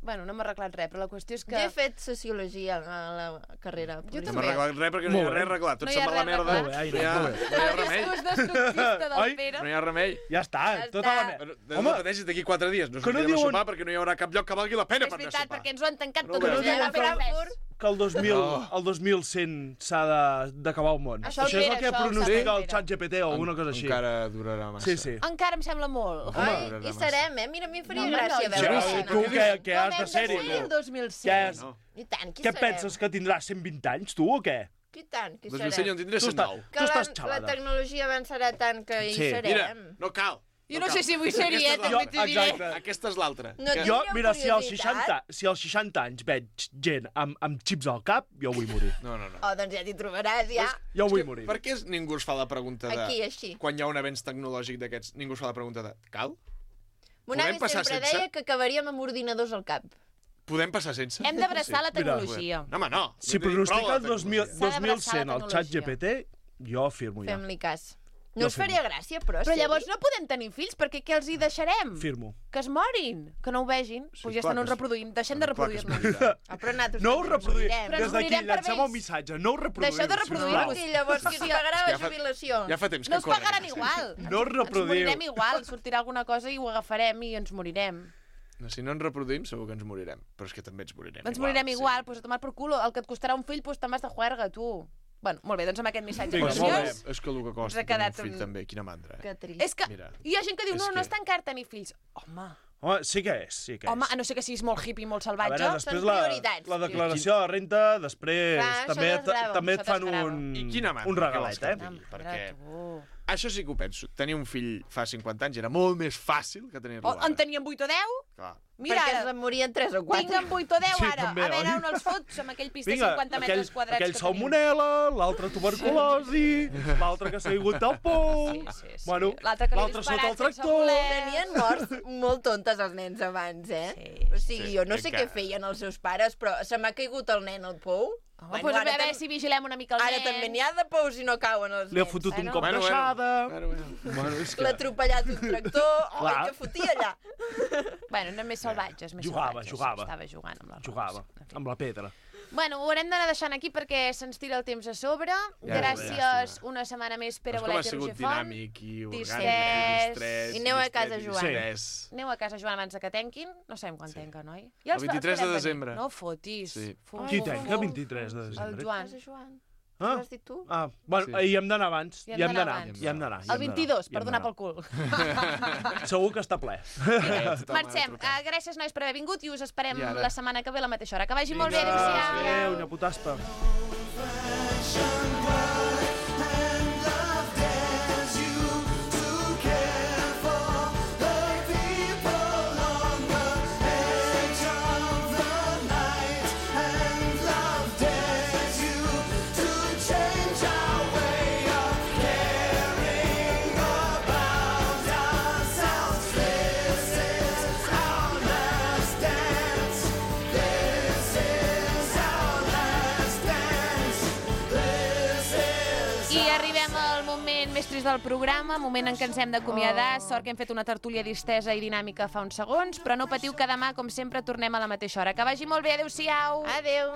Bueno, no m'ha arreglat res, però la qüestió és que... Jo he fet sociologia a la carrera. Jo No també. m'ha arreglat res perquè no hi ha Molt bé. res arreglat. Tot No hi se'n ha va a la res merda. arreglat. Molt bé, Aina, No hi ha, molt bé. no hi ha El remei. discurs destructista del Oi? Pere. No hi ha remei. Ja està, Ja tota està. la merda. Però Home, no pateixis d'aquí 4 dies. No que no sortirem a diuen- sopar perquè no hi haurà cap lloc que valgui la pena És per anar a veritat, sopar. perquè ens ho han tancat No tot ho el veus. dia. diuen que que el 2000, No. el 2100 s'ha d'acabar el món. Això Això és el Pere, que això ho pronostica sap el Pere. xat GPT o alguna cosa així. Encara durarà massa. Sí, sí. Encara em sembla molt. Ai, Home. hi serem, eh? Mira, a mi em faria No, gràcia no, veure Sí, això. tu què has de Com ser-hi? hem de ser el 2100? Què és? No. I tant, qui Què serem? penses, que tindràs 120 anys, tu, o què? I tant, qui 2000 jo serem? en tindré Tu 109. Que tu estàs la xalada. tecnologia avançarà tant que hi Sí. Mira, serem. no cal. Jo no sé si vull ser-hi, Aquesta és també t'ho diré. exacte. Aquesta és l'altra. No Que- Jo, Tindríeu mira, si als curiositat? 60 anys veig gent amb xips al cap, jo vull morir. No. Oh, doncs ja t'hi trobaràs, ja. Jo vull morir. Per què ningú es fa la pregunta de... Aquí, així. Quan hi ha un avenç tecnològic d'aquests, ningú es fa la pregunta de... Cal? Mon Podem avi passar sempre sense? deia que acabaríem amb ordinadors al cap. Podem passar sense? Hem d'abraçar la Mira. tecnologia. No, home, no. Si Vull dir, prou pronostica la el 2000, tecnologia. S'ha d'abraçar 2100 la al xat tecnologia. GPT, jo firmo ja. Fem-li cas. Jo No us firmo. faria gràcia, però... Però llavors no podem tenir fills, perquè què els hi deixarem? Firmo. Que es morin, que no ho vegin. Sí, Pues ja clar estan que uns es- reproduint. Deixem de Clar que es reproduir-nos. morirà. Ah, però nosaltres No ho també ens reproduïm. morirem. Però ens Des d'aquí morirem per llancem vells. un missatge. No ho reproduïm. Deixeu de reproduir-vos. I llavors qui us pagarà Ja la fa- jubilació? Ja fa temps que No us corre pagaran aquesta igual. No Ens reproduïu. morirem igual. Sortirà alguna cosa i ho agafarem i ens morirem. No, si no ens reproduïm, segur que ens morirem. Però és que també ens morirem Ens igual. morirem igual, sí. pues a tomar per culo. El que et costarà un fill, pues te'n vas de juerga, tu. Bueno, molt bé, doncs amb aquest missatge Vinga, molt preciós. bé. És que el que Ens costa ha tenir un quedat fill un- també, quina mandra. Que trist. És que Mira, hi ha gent que diu, és no, no que- és tan car tenir fills. Home, Home, sí que és, sí que és. home, a no ser que siguis molt hippie i molt A salvatge. veure, després són la prioritats. declaració de renta, després Clar, això també desgrava, també això et fan desgrava. I quina mandra, un què regalet, vols que et eh? digui? Perquè això sí que ho penso. Tenir un fill fa 50 anys era molt més fàcil que tenir-lo O ara. en teníem 8 o 10? Clar. Mira, Perquè ara, se'n morien 3 o 4. tinguem 8 o 10 Sí, ara. també, A veure oi? on els fots amb aquell pis de Vinga, 50 metres quadrats aquell que tenim. salmonela, l'altre tuberculosi, l'altre que s'ha caigut del pou, Sí. bueno, L'altre que li he l'altre sota el disparat sense tractor... voler. Tenien morts molt tontes els nens abans, eh? Sí, O sigui, sí, jo no sé encara. què feien els seus pares, però se m'ha caigut el nen al pou. Home, pues a veure si vigilem una mica el Ara nen. també n'hi ha de pous i no cauen els Li ha nens. fotut un Bueno. cop d'aixada... Bueno. Bueno, és L'ha que... atropellat un tractor. Ai, Clar. que fotia allà. Bueno, eren més salvatges, més Jugava, salvatges. jugava. Estava jugant amb les Jugava, rodes. En fi. amb la pedra. Bueno, ho haurem d'anar deixant aquí perquè se'ns tira el temps a sobre. Gràcies una setmana més, Pere Com ha Bolet i sigut Roger Font. dinàmic i orgànic, Distrès. distret, I aneu a casa, distret, Joan. distrès. Aneu a casa, Joan, abans de que tanquin. No sabem quan tanca, noi? Ja El 23 de desembre. No fotis. Sí. Fotis. Qui tanca 23 de El desembre? Joan. Casa Joan. Ho has dit tu? Bueno, Sí. hi hem d'anar abans. Hi Hi hem hem d'anar d'anar. abans. Hi hem d'anar. El 22, per donar pel cul. Segur que està ple. Marxem. Gràcies, nois, per haver vingut i us esperem I ara? la setmana que ve a la mateixa hora. Que vagi molt bé, Vinga. adéu-siau. Adéu, una putaspa. més trist del programa, moment en què ens hem d'acomiadar. Sort que hem fet una tertúlia distesa i dinàmica fa uns segons, però no patiu que demà, com sempre, tornem a la mateixa hora. Que vagi molt bé, adéu-siau! Adéu!